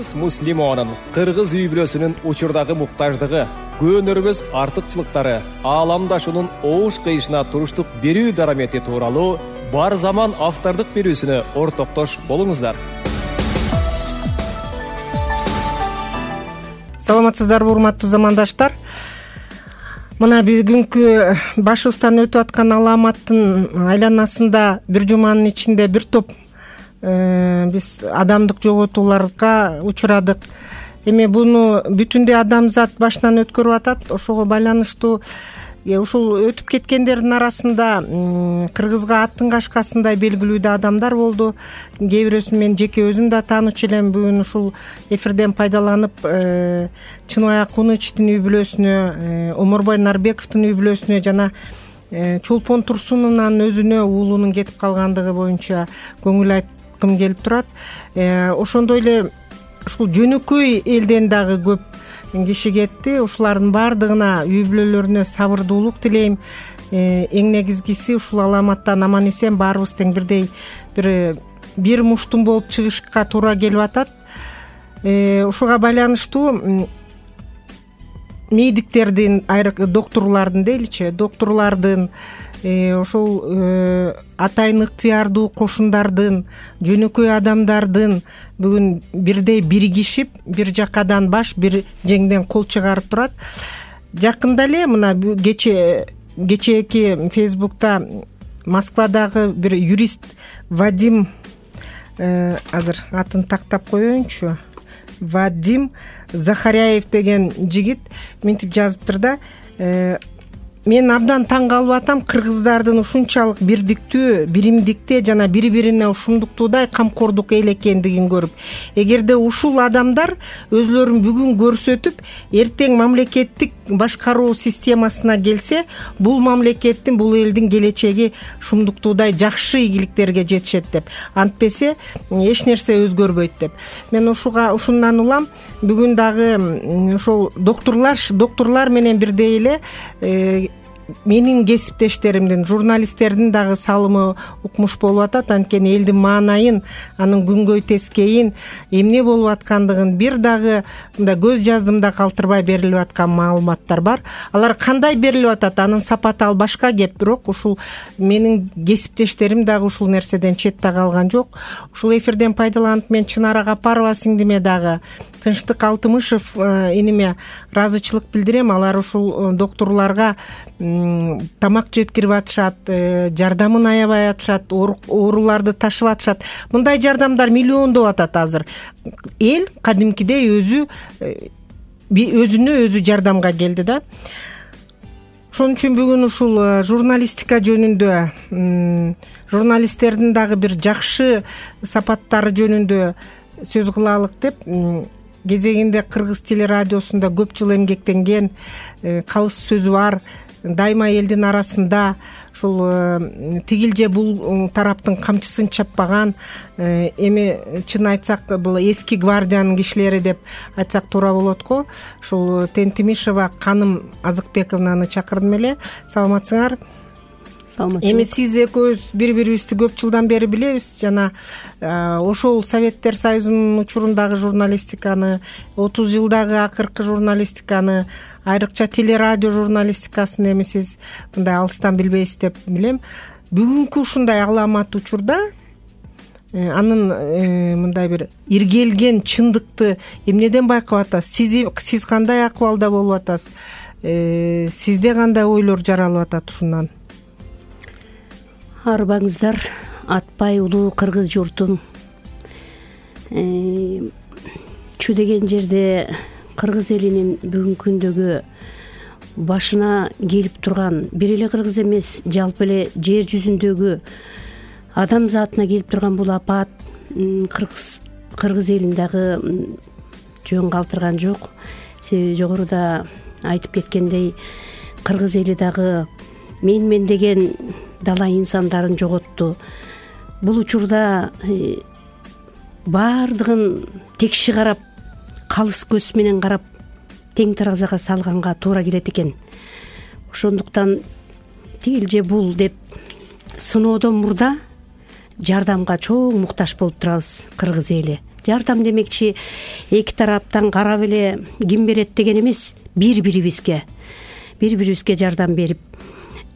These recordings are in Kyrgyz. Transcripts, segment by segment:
Кыргыз муслимонун, кыргыз үй бүлөсүнүн учурдагы муктаждыгы, көөнөрбөс артыкчылыктары, ааламдашуунун оош кыйышына туруштук берүү дарамети тууралуу бар заман автордук берүүсүнө ортоктош болуңуздар. Саламатсыздарбы, урматтуу замандаштар. Мына бүгүнкү башыбыздан өтүп аткан аламаттын айланасында бир жуманын ичинде бир топ биз адамдык жоготууларга учурадык. Эми буну бүтүндөй адамзат башынан өткөрүп атат. Ошого байланыштуу ушул өтүп кеткендердин арасында кыргызга аттын кашкасындай белгилүү да адамдар болду. Кээ бирөөсүн мен жеке өзүм да таанычу элем. Бүгүн ушул эфирден пайдаланып Чыныбай Акунычтын үй бүлөсүнө, Омурбай Нарбековдун үй бүлөсүнө жана Чолпон Турсуновнун өзүнө уулунун кетип калгандыгы боюнча көңүл айткым келип турат. Ошондой эле ушул жөнөкөй элден дагы көп киши кетти. Ушулардын баардыгына үй бүлөлөрүнө сабырдуулук тилейм. Эң негизгиси ушул аламаттан аман эсен баарыбыз тең бирдей бир муштум болуп чыгышка туура келип атат. Ушуга байланыштуу медиктердин, доктурлардын дейличи, доктурлардын, ошол атайын ыктыярдуу кошундардын, жөнөкөй адамдардын бүгүн бирдей биригишип, бир жакадан баш, бир жеңден кол чыгарып турат. Жакында эле мына кечээки Фейсбукта Москвадагы бир юрист Вадим, азыр атын тактап коеюнчу, Вадим Захаряев деген жигит мынтип жазыптыр да: мен абдан таң калып атам кыргыздардын ушунчалык бирдиктүү, биримдикте жана бири-бирине ушундуктуудай камкордук эл экендигин көрүп, эгерде ушул адамдар өзлөрүн бүгүн көрсөтүп, эртең мамлекеттик башкаруу системасына келсе, бул мамлекеттин, бул элдин келечеги ушундуктуудай жакшы ийгиликтерге жетишет деп. Антпесе эч нерсе өзгөрбөйт деп. Мен ушундан улам бүгүн дагы ошол доктурлар менен бирдей эле менин кесиптештеримдин, журналисттердин дагы салымы укмуш болуп атат. Анткени элдин маанайын, анын күнгөй тескейин, эмне болуп аткандыгын бир дагы мындай көз жаздымда калтырбай берилип аткан маалыматтар бар. Алар кандай берилип атат, анын сапаты ал башка кеп, бирок ушул менин кесиптештерим дагы ушул нерседен четте калган жок. Ушул эфирден пайдаланып мен Чынара Капарова сиңдиме дагы, Тынчтык Алтымышев иниме ыраазычылык билдирем. Алар ушул доктурларга тамак жеткирип атышат, жардамын аябай атышат, ооруларды ташып атышат. Мындай жардамдар миллиондоп атат азыр. Эл кадимкидей өзүнө өзү жардамга келди да. Ошон үчүн бүгүн ушул журналистика жөнүндө, журналисттердин дагы бир жакшы сапаттары жөнүндө сөз кылалык деп, кезегинде Кыргыз телерадиосунда көп жыл эмгектенген, калыс сөзү бар, дайыма элдин арасында ушул тигил же бул тараптын камчысын чаппаган, эми чын айтсак бул эски гвардиянын кишилери деп айтсак туура болот го. Ушул Тентимишева Каным Азыкбековнаны чакырдым эле. Саламатсыңар? Эми сиз экөөбүз бири-бирибизди көп жылдан бери билебиз жана ошол Советтер Союзунун учурундагы журналистиканы, 30 жылдагы акыркы журналистиканы, айрыкча телерадио журналистикасын эми сиз мындай алыстан билбейсиз деп билем. Бүгүнкү ушундай аламат учурда анын мындай бир иргелген чындыкты эмнеден байкап атасыз? Сиз кандай акыбалда болуп атасыз? Сизде кандай ойлор жаралып атат ушундан? Арбаңыздар, атпай улуу кыргыз журтум. Чү деген жерде кыргыз элинин бүгүнкү күндөгү башына келип турган, бир эле кыргыз эмес, жалпы эле жер жүзүндөгү адамзатына келип турган бул апат кыргыз элин дагы жөн калтырган жок. Себеби жогоруда айтып кеткендей, кыргыз эли дагы мен деген дала инсандарын жоготту. Бул учурда баардыгын текши карап, калыс көз менен карап, тең таразага салганга туура келет экен. Ошондуктан тигил же бул деп сыноодон мурда жардамга чоң муктаж болуп турабыз кыргыз эли. жардам демекчи эки тараптан карап эле ким берет деген эмес, бири бирибизге жардам берип,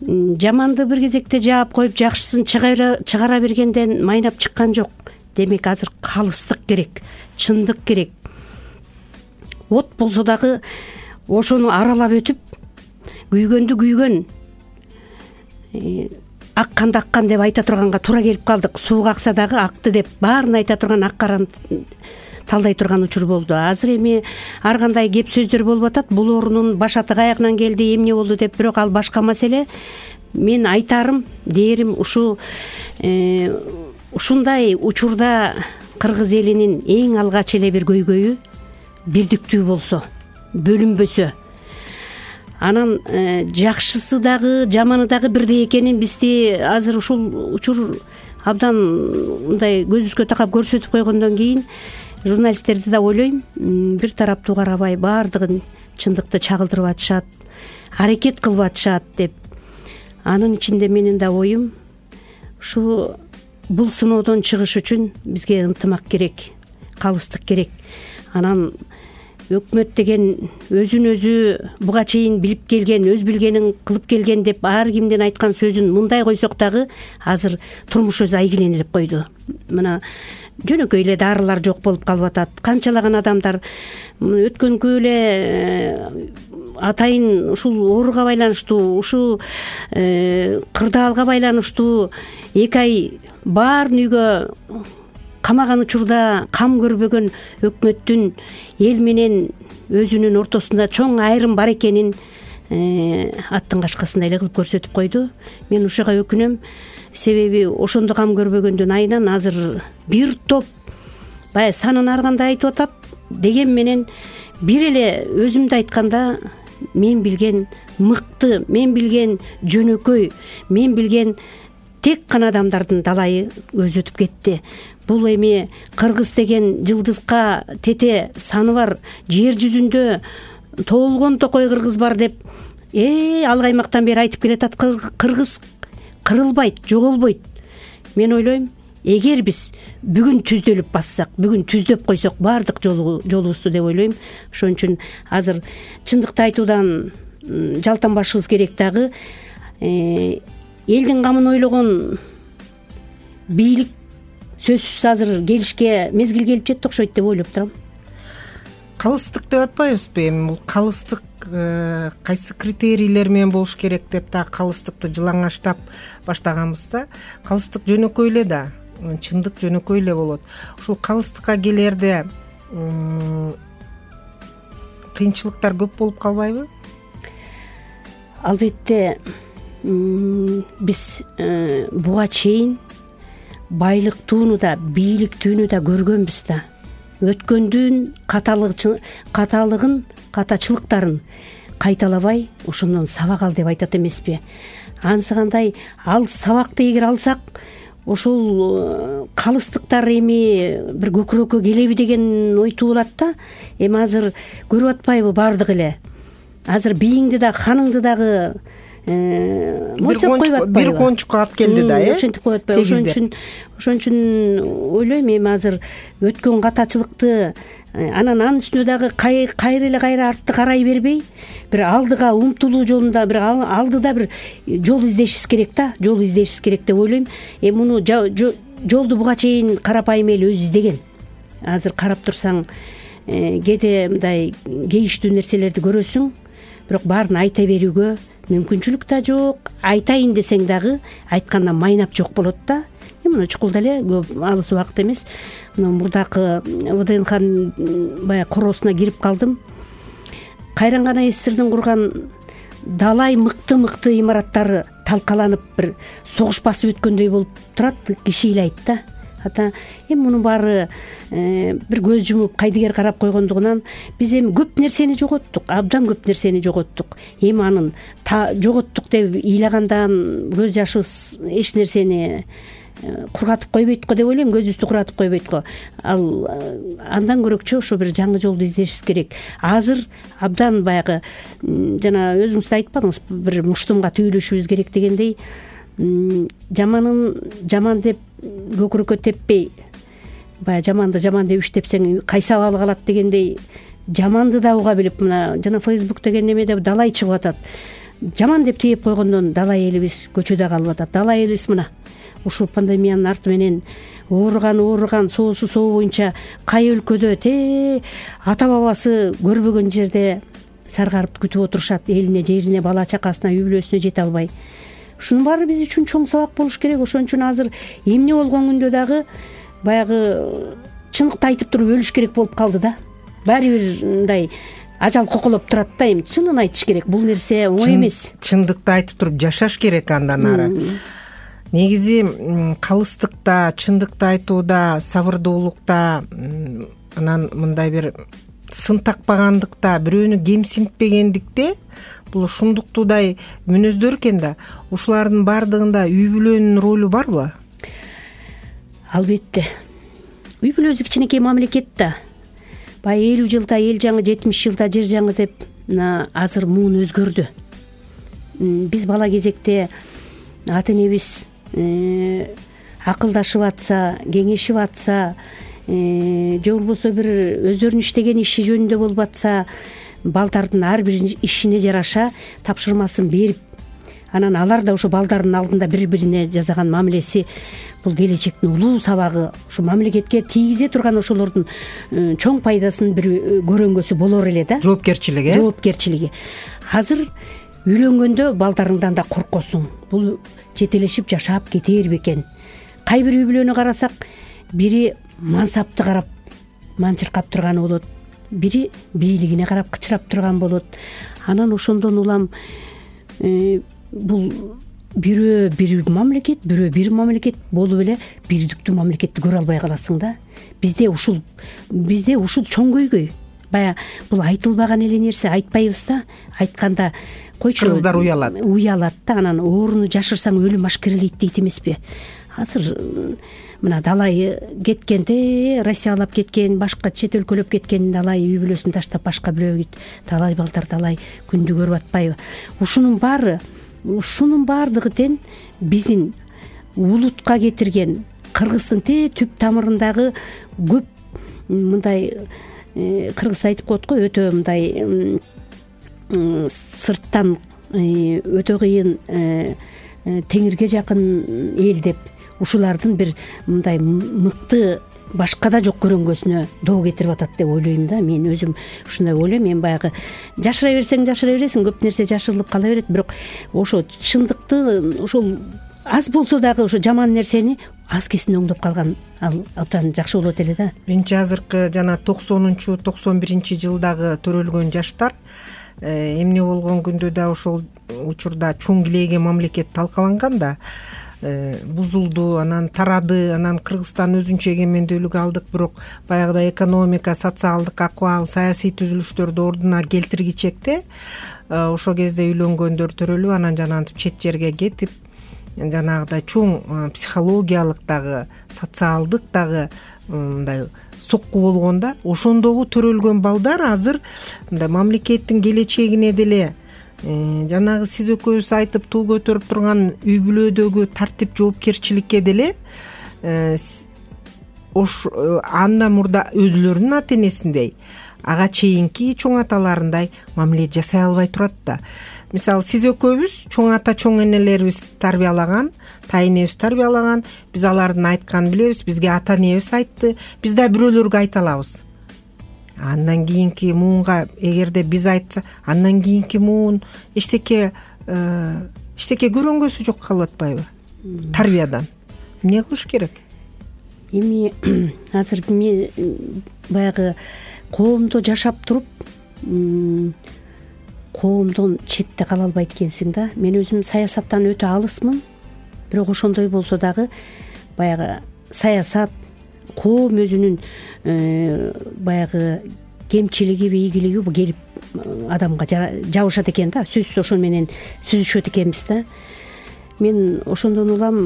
жаманды бир кезекте жаап коюп жакшысын чыгара бергенден майнап чыккан жок. Демек азыр калыстык керек, чындык керек. От болсо дагы ошону аралап өтүп, күйгөндү күйгөн, акканды аккан деп айта турганга туура келип калдык. Сууга акса дагы акты деп баарын айта турган, ак караны талдай турган учур болду. Азыр эми ар кандай кеп сөздөр болуп атат. Бул орунун башаты каягынан келди, эмне болду деп, бирок ал башка маселе. Мен айтарым, дээрим ушундай учурда кыргыз элинин эң алгач эле бир көйгөйү бирдиктүү болсо, бөлүнбөсө, анан жакшысы дагы жаманы дагы бирдей экенин бизди азыр ушул учур абдан мындай көзүбүзгө такап көрсөтүп койгондон кийин журналисттерди да ойлойм, бир тараптуу карабай баардыгын чындыкты чагылдырып атышат, аракет кылып атышат деп. Анын ичинде менин да оюм ушу бул сыноодон чыгыш үчүн бизге ынтымак керек, калыстык керек. Анан өкмөт деген өзүн өзү буга чейин билип келген, өз билгенин кылып келген деп ар кимдин айткан сөзүн мындай койсок дагы азыр турмуш өзү айгиленилип койду. Мына жөнөкөй эле дарылар жок болуп калып атат. Канчалаган адамдар өткөнгү эле атайын ушул ооруга байланыштуу, ушул кырдаалга байланыштуу 2 ай баарын үйгө камаган учурда кам көрбөгөн өкмөттүн эл менен өзүнүн ортосунда чоң айрым бар экенин аттын кашкасындай эле кылып көрсөтүп койду. Мен ушуга өкүнөм. Себеби ошондо кам көрбөгөндүн айынан азыр бир топ баягы санын ар кандай айтып атат деген менен бир эле өзүмдү айтканда мен билген мыкты, мен билген жөнөкөй, мен билген тек гана адамдардын далайы өзөтүп кетти. Бул эми кыргыз деген жылдызга тете саны бар, жер жүзүндө тоолгон токой кыргыз бар деп ал аймактан бери айтып келатат. Кыргыз кырылбайт, жоголбойт. Мен ойлойм, эгер биз бүгүн түздөлүп бассак, бүгүн түздөп койсок баардык жолубузду деп ойлойм. Ошон үчүн азыр чындыкты айтуудан жалтанбашыбыз керек. Дагы элдин камын ойлогон бийлик сөзсүз азыр келишке мезгил келип жетти окшойт деп ойлоп турам. Калыстык деп атпайбызбы? Эми бул калыстык кайсы критерийлер менен болуш керек деп да калыстыкты жылаңачтап баштаганбыз да. Калыстык жөнөкөй эле да, чындык жөнөкөй эле болот. Ушул калыстыкка келерде кыйынчылыктар көп болуп калбайбы? Албетте биз буга чейин байлыктууну да, бийликтүүнү да көргөнбүз да. Өткөндүн катачылыктарын кайталабай ошондон сабак ал деп айтат эмеспи? Ансыгандай ал сабакты эгер алсак, ошол калыстыктар эми бир көкүрөккө келеби деген ой туулат да. Эми азыр көрүп атпайбы баардык эле? Азыр бийиңди да, ханыңды дагы мойсоп коюп атпайбы? Бир кончукка алып келди да, ошентип коюп атпайбы? Ошон үчүн ойлойм, эми азыр өткөн катачылыкты анын үстүнө дагы кайра артты карай бербей, бир алдыга умтулуу жолунда бир алдыда бир жол издешибиз керек да, жол издешибиз керек деп ойлойм. Эми муну жолду буга чейин карапайым эл өзү издеген. Азыр карап турсаң, кээде мындай кейиштүү нерселерди көрөсүң, бирок баарын айта берүүгө мүмкүнчүлүк да жок. Айтайын десең дагы айткандан майнап жок болот да. Мына чукулда эле көп алыс убакыт эмес, мына мурдакы ВДНХнын баягы короосуна кирип калдым. Кайран гана СССРдин курган далай мыкты имараттары талкаланып бир согуш басып өткөндөй болуп турат, киши ыйлайт да. Эми мунун баары бир көз жумуп кайдыгер карап койгондугунан биз эми көп нерсени жоготтук, абдан көп нерсени жоготтук. Эми анын жоготтук деп ыйлагандан көз жашыбыз эч нерсени кургатып койбойт го деп ойлойм, көзүбүздү куратып койбойт го. Ал андан көрөкчө ошо бир жаңы жолду издешибиз керек. Азыр абдан баягы жана өзүңүз да айтпадыңыз, бир муштумга түйүлүшүбүз керек дегендей, жаманын жаман деп көкүрөккө теппей, баягы жаманды жаман деп иштепсең кайсы абалы калат дегендей жаманды да уга билип, мына жана Facebook деген немеде далай чыгып атат. Жаман деп тиеп койгондон далай элибиз көчөдө калып атат. Далай элибиз мына ушул пандемиянын арты менен ооруган соосу боюнча кай өлкөдө ата бабасы көрбөгөн жерде саргарып күтүп отурушат, элине, жерине, бала чакасына, үй бүлөсүнө жете албай. Ушунун баары биз үчүн чоң сабак болуш керек. Ошон үчүн азыр эмне болгон күндө дагы баягы чындыкты айтып туруп өлүш керек болуп калды да. Баары бир мындай ажал коколоп турат да, эми чынын айтыш керек. Бул нерсе оңой эмес. Чындыкты айтып туруп жашаш керек андан ары. Негизи калыстыкта, чындыкты айтууда, сабырдуулукта, анан мындай бир сын такпагандыкта, бирөөнү кемсинтпегендикте бул ушундуктуудай мүнөздөр экен да. Ушулардын баардыгында үй бүлөнүн ролу барбы? Албетте. Үй бүлөбүз кичинекей мамлекет да. Баягы 50 жылда эл жаңы, 70 жылда жер жаңы деп азыр муун өзгөрдү. Биз бала кезекте ата энебиз акылдашып атса, кеңешип атса, же болбосо бир өздөрүнүн иштеген иши жөнүндө болуп атса, балдардын ар бир ишине жараша тапшырмасын берип, анан алар да ошо балдардын алдында бири-бирине жасаган мамилеси бул келечектин улуу сабагы, ушу мамлекетке тийгизе турган ошолордун чоң пайдасын бир көрөнгөсү болор эле да. Жоопкерчилиги. Азыр үйлөнгөндө балдарыңдан да коркосуң. Бул жетелешип жашап кетер бекен. Кай бир үй бүлөнү карасак, бири мансапты карап манчыркап турганы болот, бири бийлигине карап кычырап турган болот. Анан ошондон улам бул бирөө бир мамлекет, бирөө бир мамлекет болуп эле бирдиктүү мамлекетти көрө албай каласың да. Бизде ушул чоң көйгөй. Бая бул айтылбаган эле нерсе, айтпайбыз да. Айтканда койчу, кыргыздар уялат да, анан ооруну жашырсаң өлүм ашкерелейт дейт эмеспи? Азыр мына далай кеткенде, Россиялап кеткен, башка чет өлкөлөп кеткен далай үй бүлөсүн таштап башка бирөөгө далай балдар далай күндү көрүп атпайбы? Ушунун баардыгы тең биздин улутка кетирген, кыргыздын түп тамырындагы көп мындай кыргыз айтып коет го, өтө мындай сырттан өтө кыйын теңирге жакын эл деп ушулардын бир мындай мыкты башкада жок көрөнгөсүнө доо кетирип атат деп ойлойм да. Мен өзүм ушундай ойлойм. Мен баягы жашыра бересиң, көп нерсе жашырылып кала берет, бирок ошо чындыкты ошол аз болсо дагы ошо жаман нерсени аз кесин оңдоп калган ал абдан жакшы болот эле да. Менимче азыркы жана 90-91-жылдагы төрөлгөн жаштар эмне болгон күндө да ошол учурда чоң килейге мамлекет талкаланган да, бузулду, анан тарады, анан Кыргызстан өзүнчө эгемендүүлүк алдык, бирок баягыдай экономика, социалдык акыбал, саясий түзүлүштөрдү ордуна келтиргичекте ошол кезде үйлөнгөндөр төрөлүп, анан жанагынтип чет жерге кетип, жанагыдай чоң психологиялык дагы, социалдык дагы мындай сокку болгондо, ошондогу төрөлгөн балдар азыр мындай мамлекеттин келечегине деле жанагы сиз экөөбүз айтып туу көтөрүп турган үй бүлөдөгү тартип жоопкерчиликке деле андан мурда өзүлөрүнүн ата энесиндей, ага чейинки чоң аталарындай мамиле жасай албай турат да. Мисалы, сиз экөөбүз чоң ата, чоң энелерибиз тарбиялаган, тайнебиз тарбиялаган, биз алардын айтканын билебиз, бизге ата энебиз айтты, биз да бирөөлөргө айта алабыз. Андан кийинки муунга эгерде биз айтса, андан кийинки муун эчтеке көрөнгөсү жок калып атпайбы? Тарбиядан эмне кылыш керек? Эми азыр мен баягы коомдо жашап туруп коомдон четте кала албайт экенсиң да. Мен өзүм саясаттан өтө алысмын, бирок ошондой болсо дагы баягы саясат, коом өзүнүн баягы кемчилиги, ийгилиги келип адамга жабышат экен да. Сөзсүз ошо менен сүзүшөт экенбиз да. Мен ошондон улам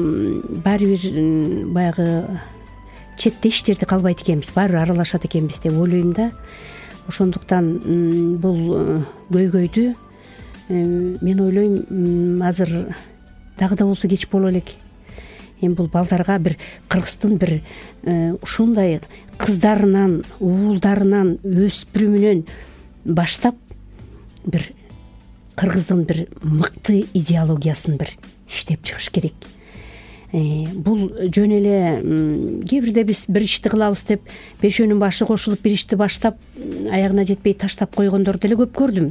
баары бир баягы четте иштерде калбайт экенбиз, баары бир аралашат экенбиз деп ойлойм да. Ошондуктан бул көйгөйдү мен ойлойм азыр дагы да болсо кеч боло элек. эми бул балдарга бир кыргыздын бир ушундай кыздарынан, уулдарынан, өспүрүмүнөн баштап бир кыргыздын бир мыкты идеологиясын бир иштеп чыгыш керек. Бул жөн эле кээ бирде биз бир ишти кылабыз деп бешөөнүн башы кошулуп бир ишти баштап аягына жетпей таштап койгондорду деле көп көрдүм.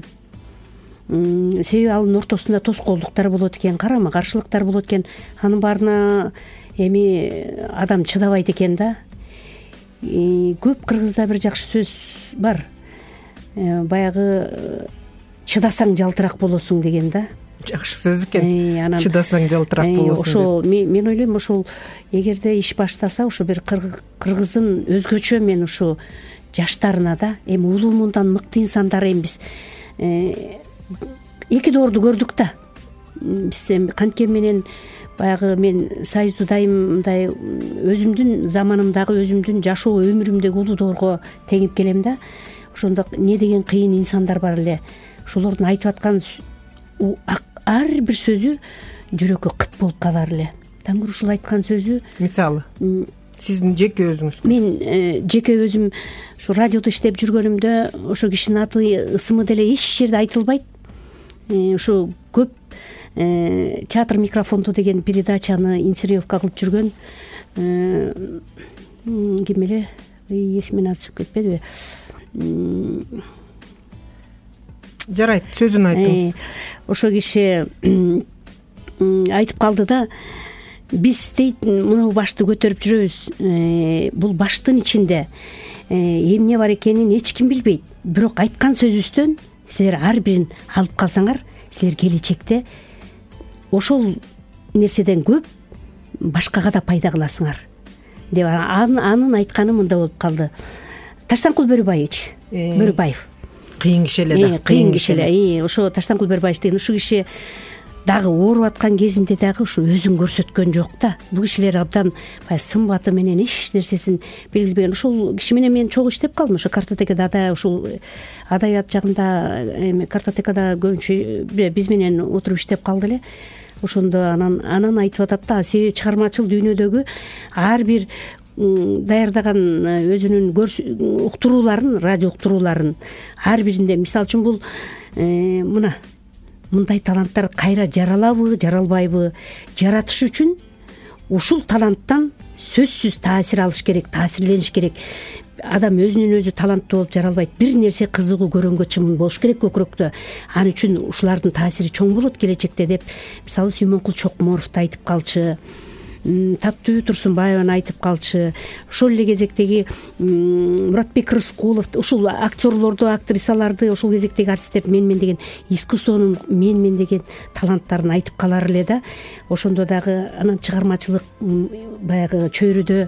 Себеби анын ортосунда тоскоолдуктар болот экен, карама каршылыктар болот экен. Анын баарына эми адам чыдабайт экен да. Көп кыргызда бир жакшы сөз бар. Баягы чыдасаң жалтырак болосуң деген да. Жакшы сөз экен. Чыдасаң жалтырак болосуң. Ошол мен ойлойм, ошол эгерде иш баштаса, ошо бир кыргыздын өзгөчө мен ушу жаштарына да эми улуу мындан мыкты инсандар эми биз эки доорду көрдүк да. Биз эми канткен менен баягы мен Союзду дайым мындай өзүмдүн заманымдагы, өзүмдүн жашоо өмүрүмдөгү улуу доорго теңип келем да. Ошондо эмне деген кыйын инсандар бар эле. Ошолордун айтып аткан ар бир сөзү жүрөккө кыт болуп калар эле. Таңгүр ушул айткан сөзү, мисалы сиздин жеке өзүңүз? Мен жеке өзүм ушу радиодо иштеп жүргөнүмдө ошо кишинин аты, ысымы деле эч жерде айтылбайт. Ушу көп театр микрофонду деген передачаны инсценировка кылып жүргөн ким эле, эсимден аты чыгып кетпедиби? Жарайт, сөзүн айтыңыз. Ошо киши айтып калды да, биз дейт мына башты көтөрүп жүрөбүз. Бул баштын ичинде эмне бар экенин эч ким билбейт. Бирок айткан сөзүбүздөн силер ар бирин алып калсаңар, силер келечекте ошол нерседен көп башкага да пайда кыласыңар деп анын айтканы мында болуп калды. Таштанкул Бөрүбаев кыйын киши эле да. Кыйын киши эле. Ошо Таштанкул Бөрүбаев деген ушу киши дагы ооруп аткан кезинде дагы ушу өзүн көрсөткөн жок да. Бул кишилер абдан сымбаты менен эч нерсесин билгизбеген. Ошол киши менен мен чогуу иштеп калдым. Ошо картотекада да, ушул адабият жагында эми картотекада көбүнчө биз менен отуруп иштеп калды эле. Ошондо анан айтып атат да, себеби чыгармачыл дүйнөдөгү ар бир даярдаган өзүнүн уктурууларын, радио уктурууларын ар биринде, мисалы үчүн бул мына мындай таланттар кайра жаралабы, жаралбайбы, жаратыш үчүн ушул таланттан сөзсүз таасир алыш керек, таасирлениш керек. Адам өзүнүн өзү таланттуу болуп жаралбайт. Бир нерсе кызыгуу, көрөнгө чымын болуш керек көкүрөктө. Ал үчүн ушулардын таасири чоң болот келечекте деп, мисалы Сүймөнкул Чокморовду айтып калчы, Таттуу Турсунбаеваны айтып калчы. Ошол эле кезектеги Муратбек Рыскулов, ушул актерлорду, актрисаларды, ошол кезектеги артисттерди менмен деген искусствонун менмен деген таланттарын айтып калар эле да. Ошондо дагы анан чыгармачылык баягы чөйрөдө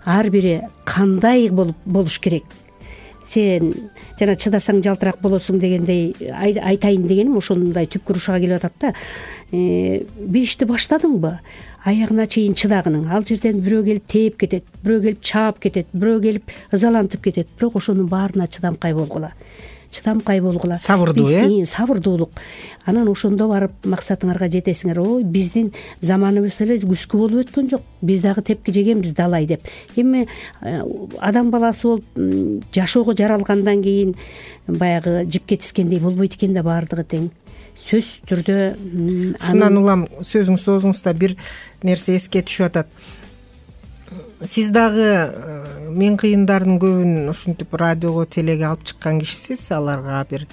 ар бири кандай болуш керек. Сен жана чыдасаң жалтырак болосуң дегендей айтайын дегеним ошондой түпкү урушуга келип атат да. Бир ишти баштадыңбы, аягына чейин чыдагының. Ал жерден бирөө келип тээп кетет, бирөө келип чаап кетет, бирөө келип ызалантып кетет. Бирок ошонун баарына чыдамкай болгула. Сабырдуу, сабырдуулук. Анан ошондо барып максатыңарга жетесиңер. Ой, биздин заманыбыз эле күскү болуп өткөн жок. Биз дагы тепки жегенбиз далай деп. Эми адам баласы болуп жашоого жаралгандан кийин баягы жипке тискендей болбойт экен да, баардыгы тең. Сөз түрдө ушундан улам сөзүңүз соозуңузда бир нерсе эске түшүп атат. Сиз дагы мен кыйындардын көбүн ушинтип радиого, телеге алып чыккан кишисиз. Аларга бир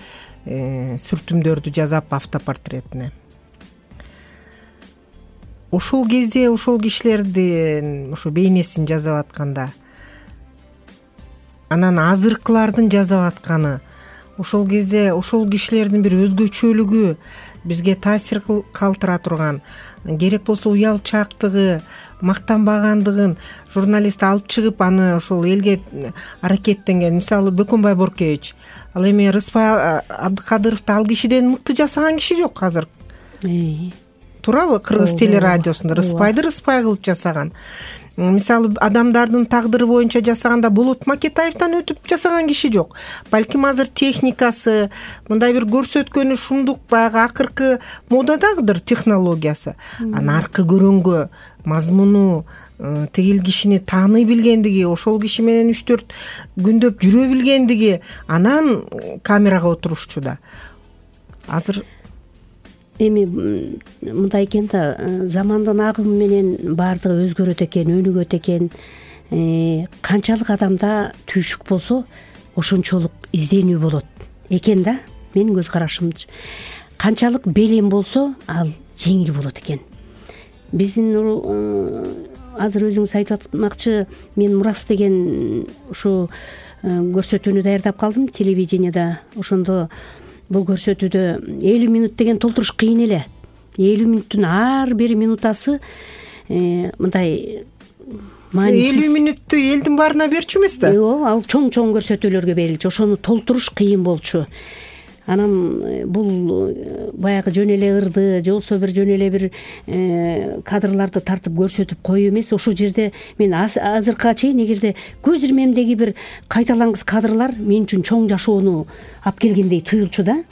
сүртүмдөрдү жазап автопортретине. Ошол кезде ошол кишилердин ошо бейнесин жасап атканда, анан азыркылардын жасап атканы, ошол кезде ошол кишилердин бир өзгөчөлүгү бизге таасир калтыра турган, керек болсо уялчаактыгы, мактанбагандыгын журналист алып чыгып аны ошол элге аракеттенген. Мисалы Бөкөнбай Боркевич, ал эми Рыспай Абдыкадыровду ал кишиден мыкты жасаган киши жок азыр. Туурабы? Кыргыз телерадиосунда Рыспайды Рыспай кылып жасаган. мисалы адамдардын тагдыры боюнча жасаганда Болот Макетаевден өтүп жасаган киши жок. Балким азыр техникасы, мындай бир көрсөткөнү шумдук баягы акыркы модадагыдыр технологиясы. Аркы көрөнгө мазмуну тигил кишини тааный билгендиги, ошол киши менен 3-4 күндөп жүрө билгендиги, анан камерага отурушчу да. Азыр эми мындай экен да, замандын агымы менен баардыгы өзгөрөт экен, өнүгөт экен. Канчалык адамда түйшүк болсо, ошончолук изденүү болот экен да, менин көз карашымдыр. Канчалык белем болсо, ал жеңил болот экен. Биздин азыр өзүңүз айтып атмакчы, мен Мурас деген ушу көрсөтүүнү даярдап калдым телевидениеда. Ошондо бул көрсөтүүдө 50 минут деген толтуруш кыйын эле. 50 минуттун ар бир минутасы мындай маанисиз. 50 минутту элдин баарына берчү эмес да? Жок, ал чоң көрсөтүүлөргө берилчү. Ошону толтуруш кыйын болчу. Анан бул баягы жөн эле ырды же болбосо бир жөн эле бир кадрларды тартып көрсөтүп коюу эмес. Ошол жерде мен азыркыга чейин эгерде көз ирмемдеги бир кайталангыс кадрлар мен үчүн чоң жашоону алып келгендей туюлчу да.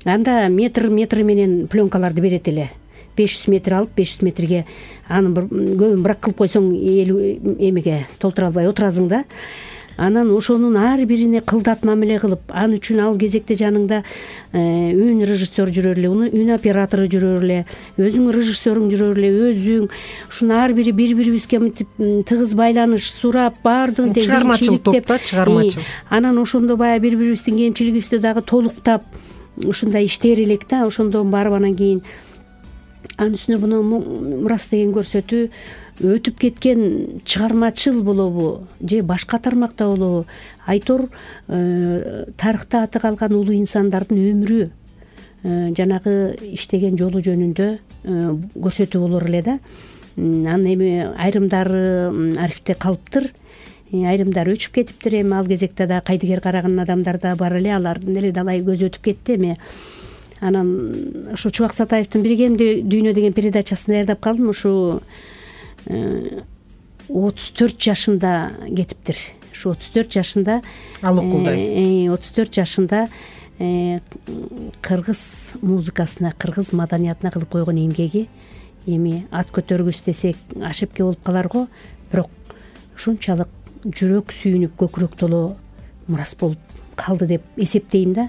Анда метр менен пленкаларды берет эле. 500 метр алып 500 метрге анын көбүн бирок кылып койсоң эмеге толтура албай отурасың да. Анан ошонун ар бирине кылдат мамиле кылып, ал үчүн ал кезекте жаныңда үн режиссер жүрөр эле, үн оператору жүрөр эле, өзүң режиссерүң жүрөр эле, өзүң ушунун ар бири бири-бирибизге мынтип тыгыз байланыш сурап, баардыгын чыгармачыл топто, чыгармачыл. Анан ошондо баягы бири-бирибиздин кемчилигибизди дагы толуктап ушундай иштер элек да. Ошондон барып анан кийин анын үстүнө буну Мурас деген көрсөтүү өтүп кеткен чыгармачыл болобу же башка тармакта болобу, айтор тарыхта аты калган улуу инсандардын өмүрү, жанагы иштеген жолу жөнүндө көрсөтүү болор эле да. Анан эми айрымдары архивде калыптыр, айрымдары өчүп кетиптир. Эми ал кезекте да кайдыгер караган адамдар да бар эле, алардын деле далай көзү өтүп кетти эми. Анан ушу Чубак Сатаевдин Биргемде дүйнө деген передачасын даярдап калдым. Ушу 34 жашында кетиптир. Ушу 34 жашында ал окулдай. 34 жашында кыргыз музыкасына, кыргыз маданиятына кылып койгон эмгеги эми ат көтөргүс десек ошибка болуп калар го, бирок ушунчалык жүрөк сүйүнүп көкүрөк толо Мурас болуп калды деп эсептейм да.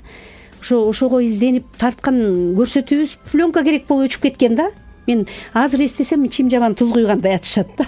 Ошого изденип тарткан көрсөтүүбүз пленка керек болуп өчүп кеткен да. Мен азыр эстесем ичим жаман туз куйгандай атышат да.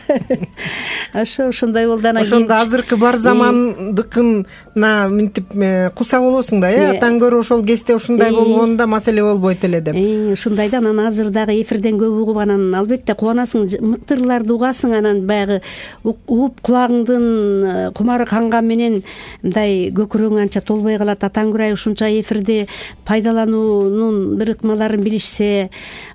Ошондой болду. Ошондо азыркы бар замандыкына мынтип куса болосуң да, атан көрө ошол кезде ушундай болгондо маселе болбойт эле деп. Ушундай да. Анан азыр дагы эфирден көп угуп, анан албетте кубанасың, мыктырларды угасың, анан баягы угуп кулагыңдын кумары канган менен мындай көкүрөгүң анча толбой калат. Атаң Гүрай ушунча эфирди пайдалануунун бир ыкмаларын билишсе,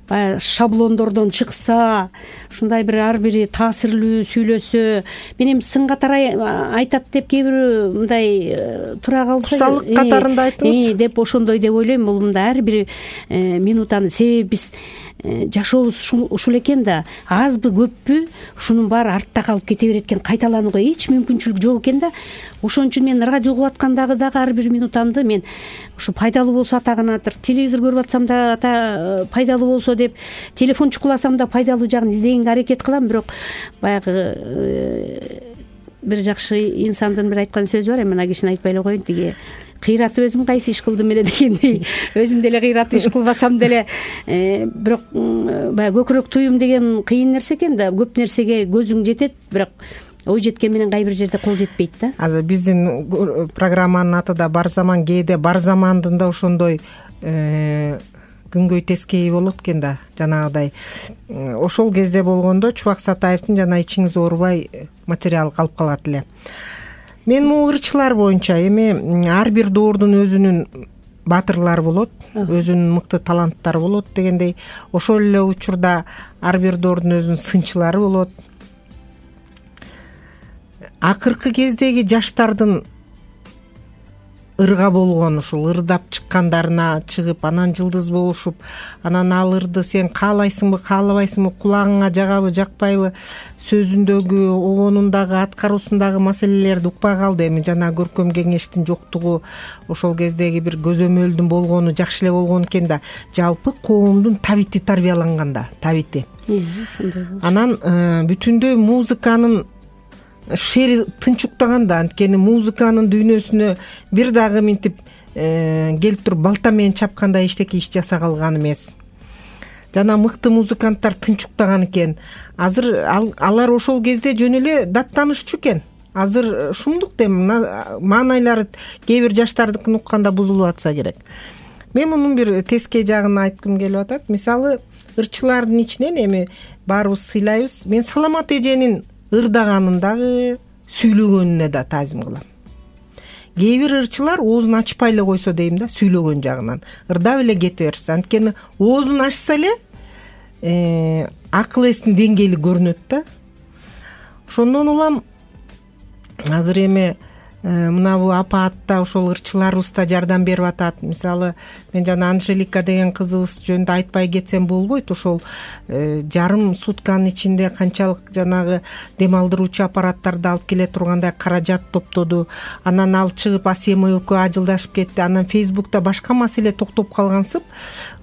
баягы шаблондордон чыкса, ушундай бир ар бири таасирлүү сүйлөсө, мен эми сын катары айтат деп кээ бирөө мындай тура калса, кусалык катарында айтыңыз деп ошондой деп ойлойм. Бул мындай ар бир минутаны, себеби биз жашообуз ушул экен да, азбы көппү ушунун баары артта калып кете берет экен, кайталанууга эч мүмкүнчүлүк жок экен да. Ошон үчүн мен радио угуп аткандагы дагы ар бир минутамды мен ушу пайдалуу болсо атаганатыр, телевизор көрүп атсам да пайдалуу болсо деп, телефон чукуласам да пайдалуу жагын издегенге аракет кылам. Бирок баягы бир жакшы инсандын бир айткан сөзү бар, эми ана кишини айтпай эле коеюн, тиги кыйраты өзүм кайсы иш кылдым эле дегендей. Өзүм деле кыйраттуу иш кылбасам деле, бирок баягы көкүрөк туюм деген кыйын нерсе экен да. Көп нерсеге көзүң жетет, бирок ой жеткен менен кай бир жерде кол жетпейт да. Азыр биздин программанын аты да бар заман, кээде бар замандын да ошондой күнгөй тескейи болот экен да. Жанагыдай ошол кезде болгондо Чубак Сатаевдин жана ичиңиз оорубай материалы калып калат эле. Мен могу ырчылар боюнча эми ар бир доордун өзүнүн баатырлары болот, өзүнүн мыкты таланттары болот дегендей, ошол эле учурда ар бир доордун өзүнүн сынчылары болот. Акыркы кездеги жаштардын ырга болгон, ушул ырдап чыккандарына чыгып анан жылдыз болушуп, анан ал ырды сен каалайсыңбы каалабайсыңбы, кулагыңа жагабы жакпайбы, сөзүндөгү, обонундагы, аткаруусундагы маселелерди укпай калды. Эми жана көркөм кеңештин жоктугу, ошол кездеги бир көзөмөлдүн болгону жакшы эле болгон экен да, жалпы коомдун табити тарбияланганда, табити. Анан бүтүндөй музыканын шери тынчуктаганда, анткени музыканын дүйнөсүнө бир дагы минтип келип туруп балта менен чапкандай эчтеке иш жасай калган эмес. Жана мыкты музыканттар тынчуктаган экен. Азыр алар ошол кезде жөн эле даттанышчу экен. Азыр шумдук дем маанайлары кээ бир жаштардыкын укканда бузулуп атса керек. Мен мунун бир тескей жагын айткым келип атат. Мисалы, ырчылардын ичинен эми баарыбыз сыйлайбыз. Мен Саламат эженин ырдаганын дагы, сүйлөгөнүнө да таазим кылам. Кээ бир ырчылар оозун ачпай эле койсо дейм да, сүйлөгөн жагынан ырдап эле кете берсе, анткени оозун ачса эле акыл эстин деңгээли көрүнөт да. Ошондон улам азыр эми мынабу апаатта ошол ырчыларыбыз да жардам берип атат. Мисалы, мен жана Анжелика деген кызыбыз жөнүндө айтпай кетсем болбойт. Ошол жарым сутканын ичинде канчалык жанагы дем алдыруучу аппараттарды алып келе тургандай каражат топтоду. Анан ал чыгып Асема экөө ажылдашып кетти. Анан Фейсбукта башка маселе токтоп калгансып,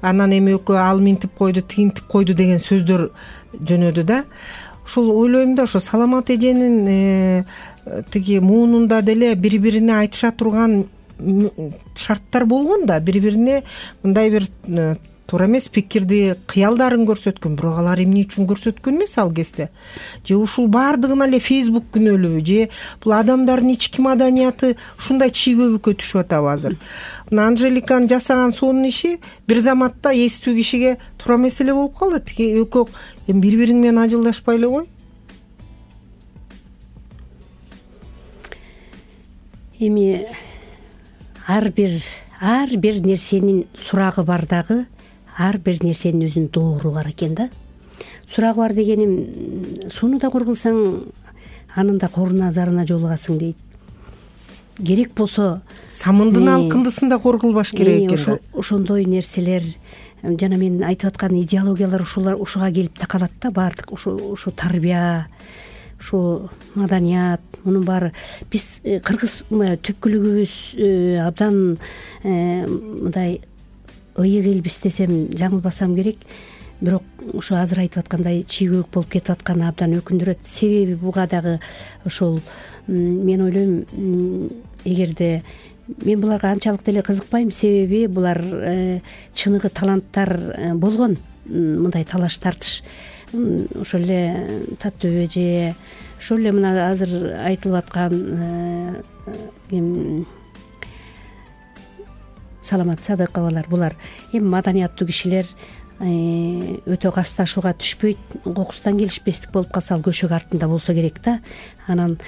анан эми экөө ал минтип койду, тигинтип койду деген сөздөр жөнөдү да. Ошол ойлойм да, ошо Саламат эженин тиги муунунда деле бири-бирине айтыша турган шарттар болгон да, бири-бирине мындай бир туура эмес пикирди, кыялдарын көрсөткөн. Бирок алар эмне үчүн көрсөткөн эмес ал кезде? Же ушул баардыгына эле Фейсбук күнөөлүүбү? Же бул адамдардын ички маданияты ушундай чийгөбүккө түшүп атабы азыр? Мына Анжеликанын жасаган сонун иши бир заматта эстүү кишиге туура эмес эле болуп калды. Тиги экөө эми бири-бириң менен ажылдашпай эле кой. Эми ар бир нерсенин сурагы бар дагы, ар бир нерсенин өзүнүн доору бар экен да. Сурагы бар дегеним, суну да кургулсаң, анын да коруна зарына жолугасың дейт. Керек болсо самындын алкындысын да коргулбаш керек экен да. Ошондой нерселер, жана мен айтып аткан идеологиялар ушуга келип такалат да, баардык ушу тарбия, ушу маданият, мунун баары биз кыргыз түпкүлүгүбүз абдан мындай ыйык элбиз десем жаңылбасам керек. Бирок ушу азыр айтып аткандай чийгөөк болуп кетип атканы абдан өкүндүрөт. Себеби буга дагы ошол, мен ойлойм, эгерде мен буларга анчалык деле кызыкпайм, себеби булар чыныгы таланттар болгон, мындай талаш тартыш. Ошол эле Таттуу эже, ошол эле мына азыр айтылып аткан Саламат Садыковалар, булар эми маданияттуу кишилер, өтө касташууга түшпөйт, кокустан келишпестик болуп калса ал көшөк артында болсо керек да. Анан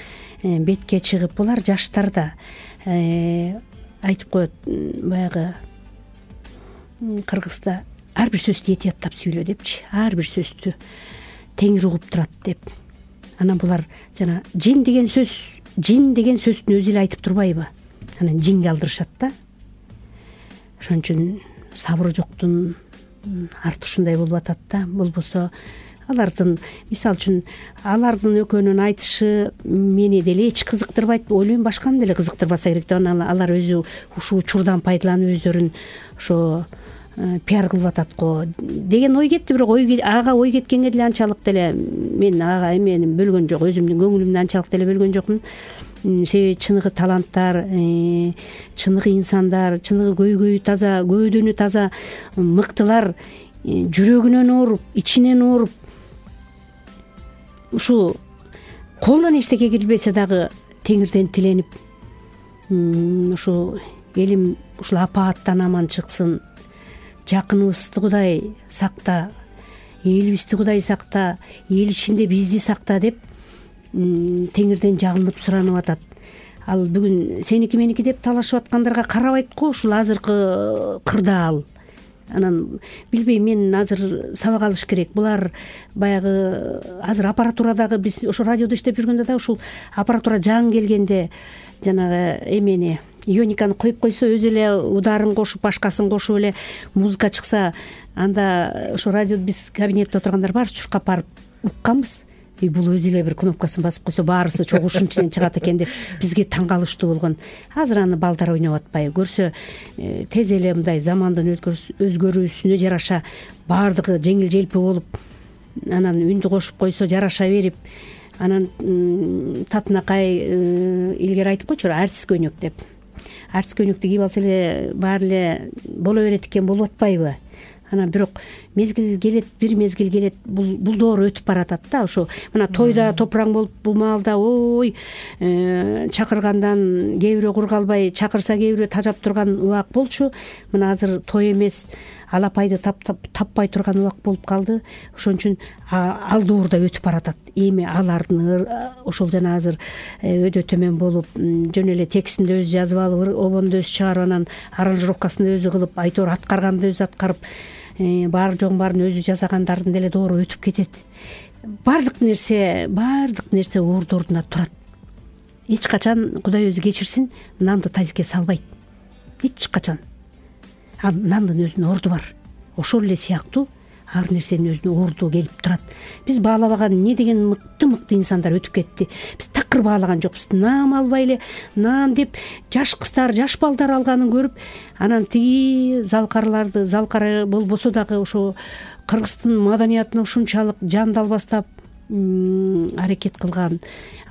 бетке чыгып, булар жаштар да айтып коет, баягы кыргызда ар бир сөздү этияттап сүйлө депчи, ар бир сөздү теңир угуп турат деп. Анан булар жана жин деген сөздүн өзү эле айтып турбайбы? Анан жинге алдырышат да. Ошон үчүн сабыры жоктун арты ушундай болуп атат да. Болбосо алардын, мисалы үчүн, алардын экөөнүн айтышы мени деле эч кызыктырбайт. Ойлойм, башканы деле кызыктырбаса керек деп, алар өзү ушул учурдан пайдаланып өздөрүн ошо пиар кылып атат го деген ой кетти. Бирок ага ой кеткенге деле анчалык деле мен ага эмени бөлгөн жок, өзүмдүн көңүлүмдү анчалык деле бөлгөн жокмун. Себеби чыныгы таланттар, чыныгы инсандар, чыныгы көйгөйү таза, көөдөнү таза мыктылар жүрөгүнөн ооруп, ичинен ооруп, ушу колунан эчтеке келбесе дагы теңирден тиленип, ушу элим ушул апааттан аман чыксын, жакыныбызды Кудай сакта, элибизди Кудай сакта, эл ичинде бизди сакта деп теңирден жалынып суранып атат. Ал бүгүн сеники меники деп талашып аткандарга карабайт го ушул азыркы кырдаал. Анан билбейм, мен азыр сабак алыш керек. Булар баягы азыр аппаратурадагы, биз ошо радиодо иштеп жүргөндө да ушул аппаратура жаңы келгенде жанагы эмени иониканы коюп койсо өзү эле ударын кошуп башкасын кошуп эле музыка чыкса, анда ошо радио биз кабинетте отургандар баары чуркап барып укканбыз. Бул өзү эле бир кнопкасын басып койсо баарысы чогуу ушунун ичинен чыгат экен деп бизге таң калыштуу болгон. Азыр аны балдар ойноп атпайбы, көрсө тез эле мындай замандын өзгөрүүсүнө жараша баардыгы жеңил желпи болуп, анан үндү кошуп койсо жараша берип, анан татынакай илгери айтып койчу артист көйнөк деп. Артист көйнөктү кийип алса эле баары эле боло берет экен, болуп атпайбы? Анан бирок мезгил келет, бир мезгил келет, бул доор өтүп баратат да. Ошо мына тойда топураң болуп бул маалда ой чакыргандан кээ бирөө кургалбай, чакырса кээ бирөө тажап турган убак болчу. Мына азыр той эмес, алапайды таппай турган убак болуп калды. Ошон үчүн ал доор да өтүп баратат. Эми алардын ошол жана азыр өйдө төмөн болуп, жөн эле текстин да өзү жазып алып, обонду өзү чыгарып, анан аранжировкасын өзү кылып, айтор аткарганды өзү аткарып, баары жогун баарын өзү жасагандардын деле доору өтүп кетет. Баардык нерсе орду ордуна турат. Эч качан Кудай өзү кечирсин, нанды тазикке салбайт. Эч качан. Нандын өзүнүн орду бар. Ошол эле сыяктуу ар нерсенин өзүнүн орду келип турат. Биз баалабаган эмне деген мыкты инсандар өтүп кетти. Биз такыр баалаган жокпуз. Наам албай эле, наам деп жаш кыздар, жаш балдар алганын көрүп, анан тиги залкары болбосо дагы ошо Кыргыздын маданиятына ушунчалык жандалбастап аракет кылган.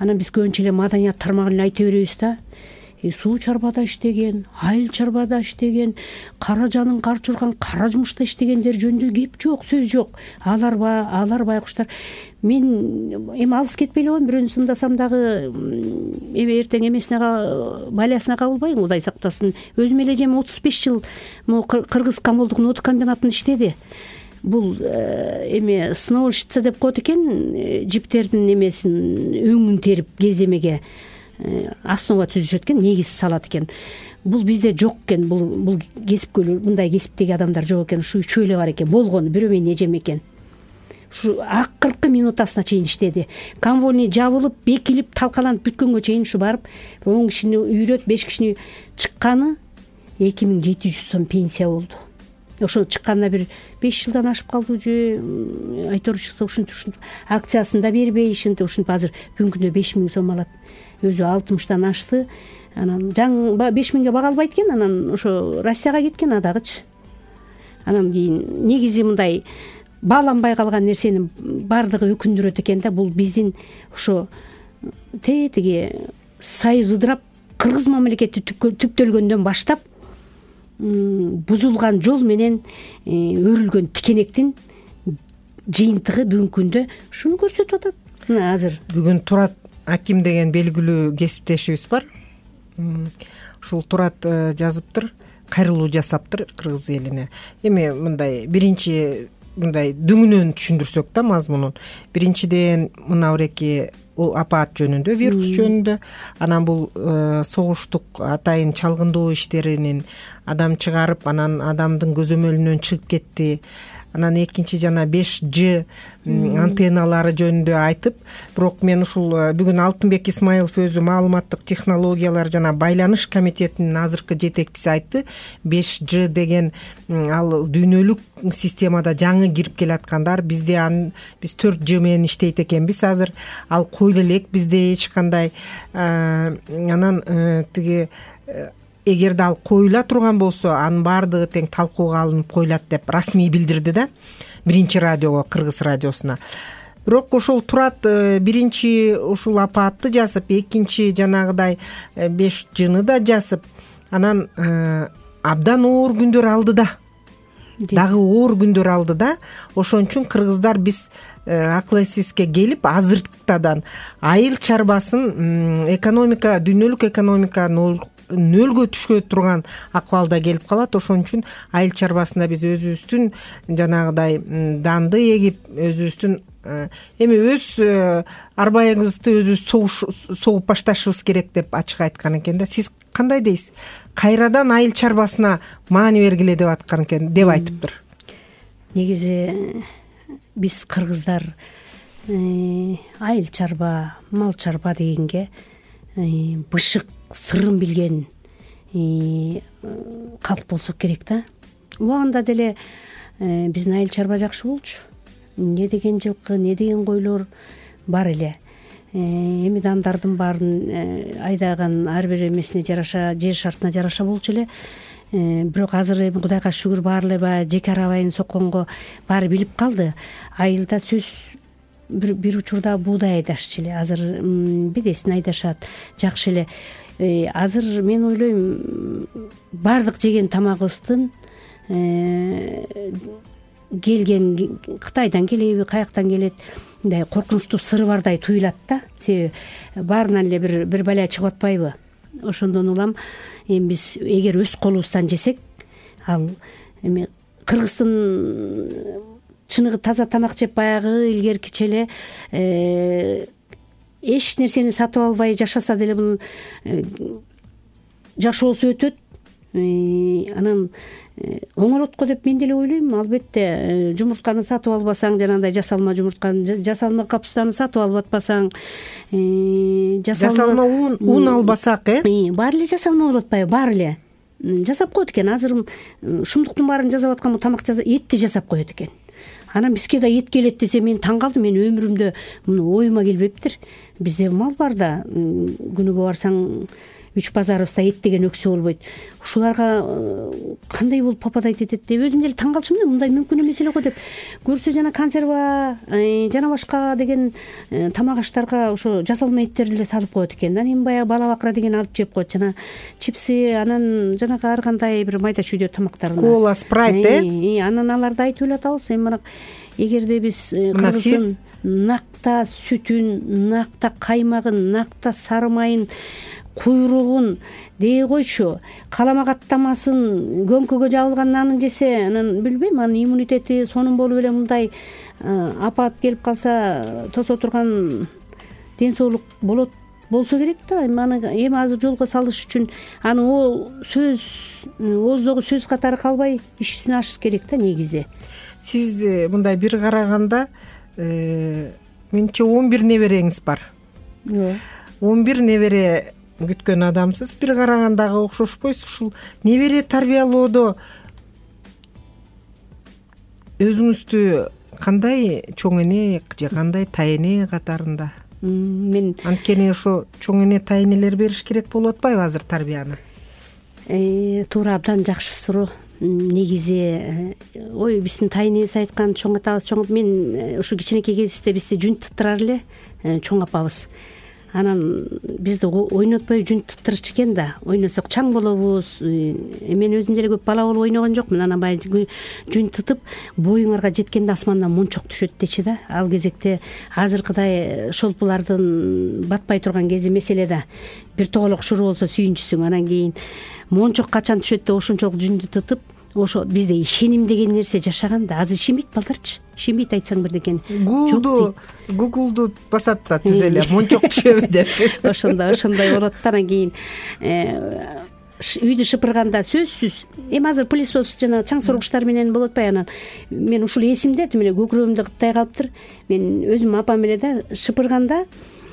Анан биз көбүнчө эле маданият тармагын айта беребиз да. Суу чарбада иштеген, айыл чарбада иштеген, кара жанын карчурган, кара жумушта иштегендер жөнүндө кеп жок, сөз жок. Алар байкуштар. Мен эми алыс кетпей эле коем, бирөөнү сындасам дагы эртең эмесине балясына кабылбайын, Кудай сактасын. Өзүм эле жем 35 жыл Кыргыз комолдук нота комбинатында иштеди. Бул эми сновщица деп коет экен, жиптердин эмесин өңүн терип кеземеге основа түзүшөт экен, негиз салат экен. Бул бизде жок экен, бул кесипкөйлөр, мындай кесиптеги адамдар жок экен. Ушу үчөө эле бар экен, болгону бирөө менен эжем экен. Ушу акыркы минутасына чейин иштеди. Конвойный жабылып, бекилип, талкаланып бүткөнгө чейин ушу барып 10 кишини үйрөт, 5 кишини чыкканы 2700 сом пенсия болду. Ошо чыкканына бир 5 жылдан ашып калды же, айтор чыкса ушинтип акциясын да бербей, ушинтип азыр бүгүнкү күндө 5000 сом алат. Өзү 60-тан ашты. Анан 5000ге бага албайт экен, анан ошо Россияга кеткен адагычы. Анан кийин негизи мындай бааланбай калган нерсенин баардыгы өкүндүрөт экен да. Бул биздин ошо тиги союз ыдырап, кыргыз мамлекети түптөлгөндөн баштап бузулган жол менен өрүлгөн тикенектин жыйынтыгы бүгүнкү күндө ушуну көрсөтүп атат. Мына азыр бүгүн Турат Аким деген белгилүү кесиптешибиз бар. Ушул Турат жазыптыр, кайрылуу жасаптыр кыргыз элине. Эми мындай биринчи мындай дүңүнөн түшүндүрсөк да мазмунун. Биринчиден мына бирки апаат жөнүндө, вирус жөнүндө, анан бул согуштук атайын чалгындоо иштеринин адам чыгарып, анан адамдын көзөмөлүнөн чыгып кетти. Анан экинчи жана 5G антенналары жөнүндө айтып, бирок мен ушул бүгүн Алтынбек Исмаилов өзү маалыматтык технологиялар жана байланыш комитетинин азыркы жетекчиси айтты. 5G деген ал дүйнөлүк системада жаңы кирип келаткандар, биз 4G менен иштейт экенбиз азыр. Ал койлу элек, бизде эч кандай анан тиги эгерде ал коюла турган болсо, анын баардыгы тең талкууга алынып коюлат деп расмий билдирди да биринчи радиого, Кыргыз радиосуна. Бирок ошол Турат биринчи ушул апаатты жазып, экинчи жанагыдай 5G'ны да жазып, анан абдан оор күндөр алды да. Дагы оор күндөр алды да. Ошон үчүн кыргыздар биз акыл эсибизге келип, азыртадан айыл чарбасын экономика, дүйнөлүк экономика нөлгө түшкө турган акыбалда келип калат. Ошон үчүн айыл чарбасында биз өзүбүздүн жанагыдай данды эгип, өзүбүздүн эми өз арбайыбызды өзүбүз согуп башташыбыз керек деп ачык айткан экен да. Сиз кандай дейсиз? Кайрадан айыл чарбасына маани бергиле деп аткан экен, деп айтыптыр. Негизи биз кыргыздар айыл чарба, мал чарба дегенге бышык, сырын билген калк болсо керек да. Убагында деле биздин айыл чарба жакшы болчу. Не деген жылкы, не деген койлор бар эле. Эми дандардын баарын айдаган ар бир эмесине жараша, жер шартына жараша болчу эле. Бирок азыр эми Кудайга шүгүр баары эле баягы жеке арабайын сокконго баары билип калды. Айылда сөз бир учурда буудай айдашчу эле, азыр бедесин айдашат, жакшы эле. Азыр мен ойлойм, баардык жеген тамагыбыздын келген Кытайдан келеби, каяктан келет, мындай коркунучтуу сыры бардай туюлат да. Себеби баарынан эле бир бала чыгып атпайбы. Ошондон улам эми биз эгер өз колубуздан жесек, ал эми Кыргыздын чыныгы таза тамак жеп баягы илгеркиче эле эч нерсени сатып албай жашаса деле бул жашоосу өтөт. Анан оңолот го деп мен деле ойлойм. Албетте жумуртканы сатып албасаң, жанагындай жасалма жумуртканы, жасалма капустаны сатып алып атпасаң, жасалма ун албасак, баары эле жасалма болуп атпайбы? Баары эле жасап коет экен. Азыр шумдуктун баарын жасап аткан тамак этти жасап коет экен. Анан бизге да эт келет десе мен таң калдым. Мен өмүрүмдө муну оюма келбептир. Бизде мал бар да, күнүгө барсаң 3 базарыбызда эт деген өксө болбойт. Ушуларга кандай болуп пападайт этет деп өзүм деле таң калчумун. Мындай мүмкүн эмес эле го деп. Көрсө жана консерва жана башка деген тамак аштарга ошо жасалма эттерди эле салып коет экен. Анан эми баягы бала бакыра деген алып жеп коет. Жана чипсы, анан жанагы ар кандай бир майда чүйдө тамактарына. Кола, спрайт, анан аларды айтып эле атабыз. Эми мына эгерде биз Кыргыздын накта сүтүн, накта каймагын, накта сары майын, куйругун дей койчу, калама каттамасын, көңкөгө жабылган нанын жесе, анан билбейм, анын иммунитети сонун болуп эле мындай апат келип калса тосо турган ден соолук болсо керек да. Эми азыр жолго салыш үчүн аны ооздогу сөз катары калбай иш үстүнө ашыш керек да негизи. Сиз мындай бир караганда менче 11 небереңиз бар. 11 небере күткөн адамсыз. Бир карагандагы окшошпойсуз. Ушул небере тарбиялоодо өзүңүздү кандай чоң эне же кандай тайэне катарында? Мен анткени ошо чоң эне тайэнелер бериш керек болуп атпайбы азыр тарбияны? Туура, абдан жакшы суроо. Негизи биздин тайэнебиз айткан чоң атабыз, мен ушу кичинекей кезибизде бизди жүн тыттырар эле чоң апабыз. Анан бизди ойнотпой жүн тыттырчу экен да. Ойносок чаң болобуз. Мен өзүм деле көп бала болуп ойногон жокмун. Анан баягы жүн тытып боюңарга жеткенде асмандан мончок түшөт дечи да. Ал кезекте азыркыдай шолпулардын батпай турган кези эмес эле да. Бир тоголок шуру болсо сүйүнчүсүң. Анан кийин мончок качан түшөт деп ошончолук жүндү тытып, ошо бизде ишеним деген нерсе жашаган да. Азыр ишенбейт балдарчы. Ишенбейт айтсаң бирдекени. Гуглду басат да түз эле мончок түшөбү деп. Ошондой болот да. Анан кийин үйдү шыпырганда сөзсүз, эми азыр пылесос жана чаң соргучтар менен болуп атпайбы? Анан мен ушул эсимде, тим эле көкүрөгүмдө кыттай калыптыр. Мен өзүм апам эле да шыпырганда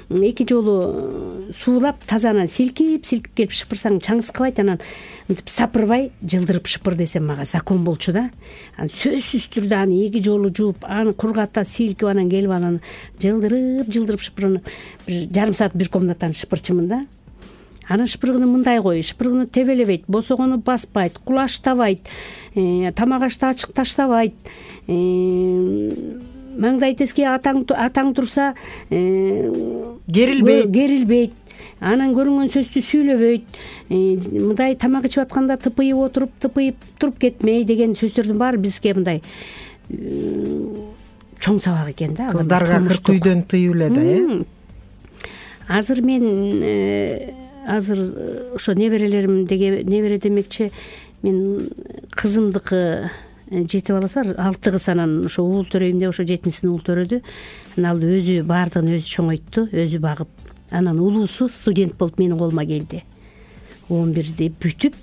2 жолу суулап тазанан силкип келип шыпырсаң чаң сыкабайт. Анан мынтип сапырбай жылдырып шыпыр десем мага закон болчу да. Анан сөзсүз түрдө аны 2 жолу жууп, аны кургата силкип, анан келип анан жылдырып шыпырып бир жарым саат бир комнатаны шыпырчумун да. Анан шыпыргыны мындай кой, шыпыргыны тебелебейт, босогону баспайт, кулаштабайт, тамак ашты ачык таштабайт. Маңдай теске атаң турса керилбейт. Анан көрүнгөн сөздү сүйлөбөйт. Мындай тамак ичип атканда тыпыйып туруп кетмей деген сөздөрдүн баары бизге мындай чоң сабак экен да. Кыздарга кыркүйдөн тыюу эле да, Азыр мен ошо неберелерим небере демекчи, мен кызымдыкы 7 баласы бар, 6 кыз. Анан ошо уул төрөйүм деп ошо 7-син уул төрөдү. Анан ал өзү баардыгын өзү чоңойтtu, өзү багып. Анан улуусу студент болуп менин колума келди. 11-ди бүтүп,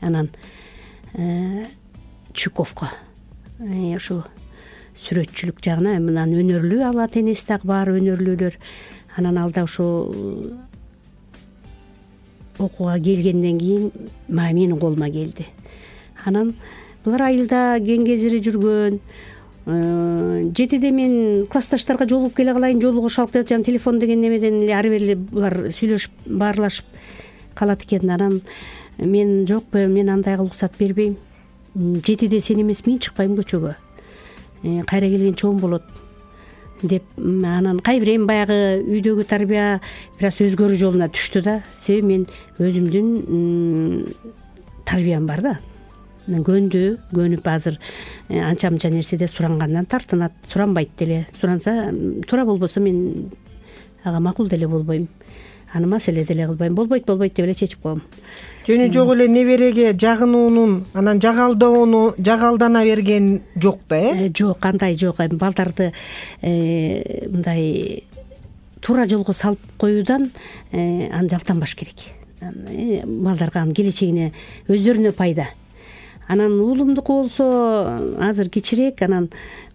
анан Чуковко ошо сүрөтчүлүк жагына, анан өнөрлүү, ал ата энеси дагы баары өнөрлүүлөр. Анан алда ошо окууга келгенден кийин менин колума келди. Анан булар айылда кеңгезири жүргөн. 7-де мен классташтарга жолугуп келе калайын, жолугуп шалып деп атсам, телефон деген немеден эле ары бери булар сүйлөшүп баарлашып калат экен. Анан мен жок, мен андайга уруксат бербейм. 7-де сен эмес, мен чыкпайм көчөгө. Кайра келген чоң болот деп. Анан кайбир эми баягы үйдөгү тарбия бир аз өзгөрүү жолуна түштү да. Себеби мен өзүмдүн тарбиям бар да. Көнүп азыр анча мынча нерседе сурангандан тартынат. Суранбайт деле. Суранса туура болбосо мен ага макул деле болбойм. Аны маселе деле кылбайм. Болбойт деп эле чечип коем. Жөнү жок эле небереге жагынуунун, анан жагалдана берген жок да, Жок, андай жок. Балдарды мындай туура жолго салып коюудан аны жалтанбаш керек. Балдарга анын келечегине, өздөрүнө пайда. Анан уулумдуку болсо азыр кичирээк, анан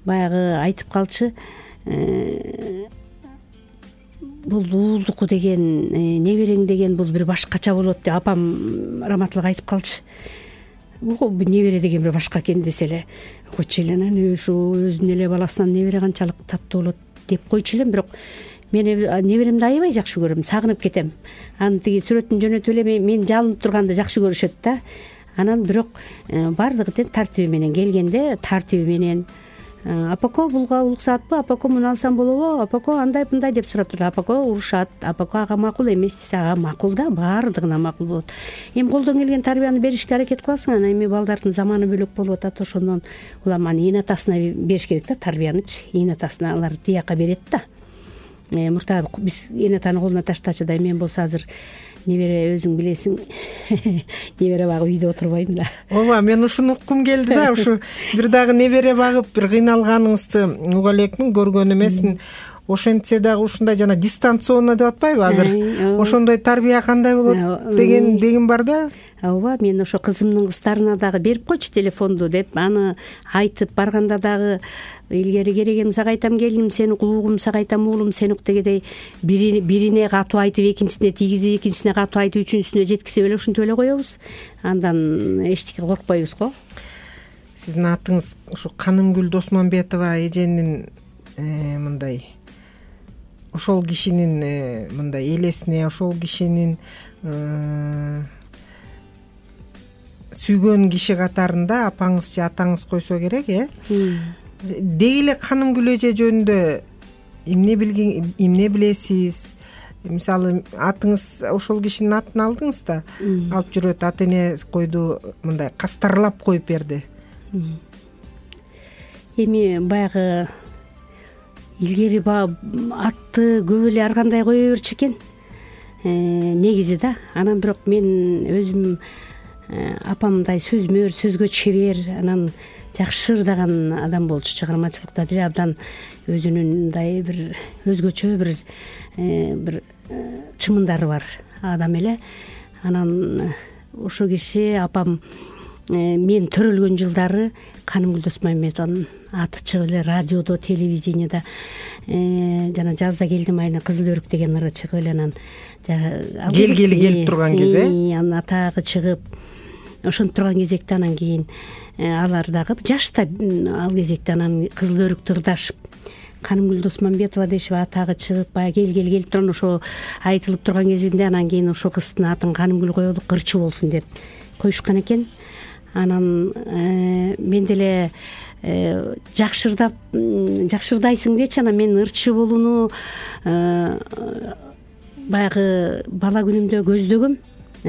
баягы айтып калчы, бул уулдуку деген, неберең деген бул бир башкача болот деп апам раматылык айтып калчы. Небере деген бир башка экен десе эле койчу эле, анан ушу өзүнүн эле баласынан небере канчалык таттуу болот деп койчу элем. Бирок мен неберемди аябай жакшы көрөм, сагынып кетем. Анын тиги сүрөтүн жөнөтүп эле мен жалынып турганды жакшы көрүшөт да. Анан бирок баардыгы тең тартиби менен келгенде, тартиби менен апако булга уруксатпы, апако муну алсам болобу, апако андай мындай деп сурап турат. Апако урушат, апако ага макул эмес десе, ага макул да, баардыгына макул болот. Эми колдон келген тарбияны беришке аракет кыласың. Анан эми балдардын заманы бөлөк болуп атат, ошондон улам аны эне атасына бериш керек да, тарбиянычы. Эне атасына алар тияка берет да. Мурда биз эне атаны колуна таштачу да. Мен болсо азыр небере, өзүң билесиң, небере багып үйдө отурбайм да. Ооба, мен ушуну уккум келди да. Ушу бир дагы небере багып бир кыйналганыңызды уга элекмин, көргөн эмесмин. Ошентсе дагы ушундай жана дистанционно деп атпайбы азыр? Ошондой тарбия кандай болот деген бар да. Ооба, мен ошо кызымдын кыздарына дагы берип койчу телефонду деп, аны айтып барганда дагы илгери керегим сага айтам, келиним сени угум, сага айтам уулум сени ук дегендей бирине катуу айтып, экинчисине тийгизип, экинчисине катуу айтып, үчүнчүсүнө жеткизип эле ушинтип эле коебуз. Андан эчтеке коркпойбуз го. Сиздин атыңыз ушу Канымгүл Досмамбетова эженин мындай, ошол кишинин мындай элесине, ошол кишинин сүйгөн киши катарында апаңыз же атаңыз койсо керек, Деги эле Канымгүл эже жөнүндө эмне билесиз? Мисалы, атыңыз ошол кишинин атын алдыңыз да, алып жүрөт, ата эне койду мындай кастарлап коюп берди. Эми баягы илгери атты көп эле ар кандай кое берчү экен негизи да. Анан бирок мен өзүм апамдай сөзмөр, сөзгө чебер, анан жакшы ырдаган адам болчу. Чыгармачылыкта деле абдан өзүнүн мындай бир өзгөчө бир чымындары бар адам эле. Анан ошо киши апам мен төрөлгөн жылдары Канымгүл Досмамбетованын аты чыгып эле радиодо, телевидениеда, жана жазда келдим айына Кызыл өрүк деген ыры чыгып эле, анан келгели келип турган кезде анын атагы чыгып ошентип турган кезекте, анан кийин алар дагы жашта ал кезекте анан Кызыл өрүктү ырдашып Канымгүл Досмамбетова дешип атагы чыгып, баягы келгели келип турган ошо айтылып турган кезинде анан кийин ошо кыздын атын Канымгүл коелук, ырчы болсун деп коюшкан экен. Анан мен деле жакшы ырдайсың дечи, анан мен ырчы болууну баягы бала күнүмдө көздөгөм.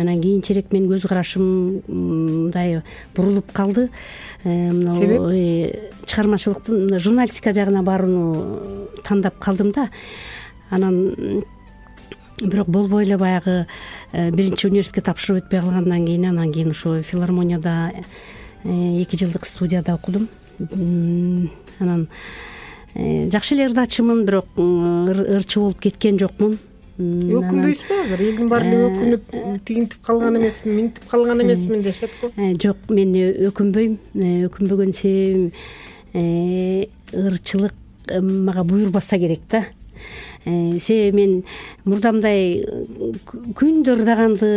Анан кийинчерээк менин көз карашым мындай бурулуп калды. Чыгармачылыктын журналистика жагына барууну тандап калдым да. Анан бирок болбой эле баягы биринчи университетке тапшырып өтпөй калгандан кийин, анан кийин ошо филармонияда 2 жылдык студияда окудум. Анан жакшы эле ырдачымын, бирок ырчы болуп кеткен жокмун. Өкүнбөйсүзбү азыр? Элдин баары эле өкүнүп тигинтип калган эмесмин, минтип калган эмесмин дешет го. Жок, мен өкүнбөйм. Өкүнбөгөн себебим ырчылык мага буйрбаса керек да. себеби мен мурда мындай күндө ырдаганды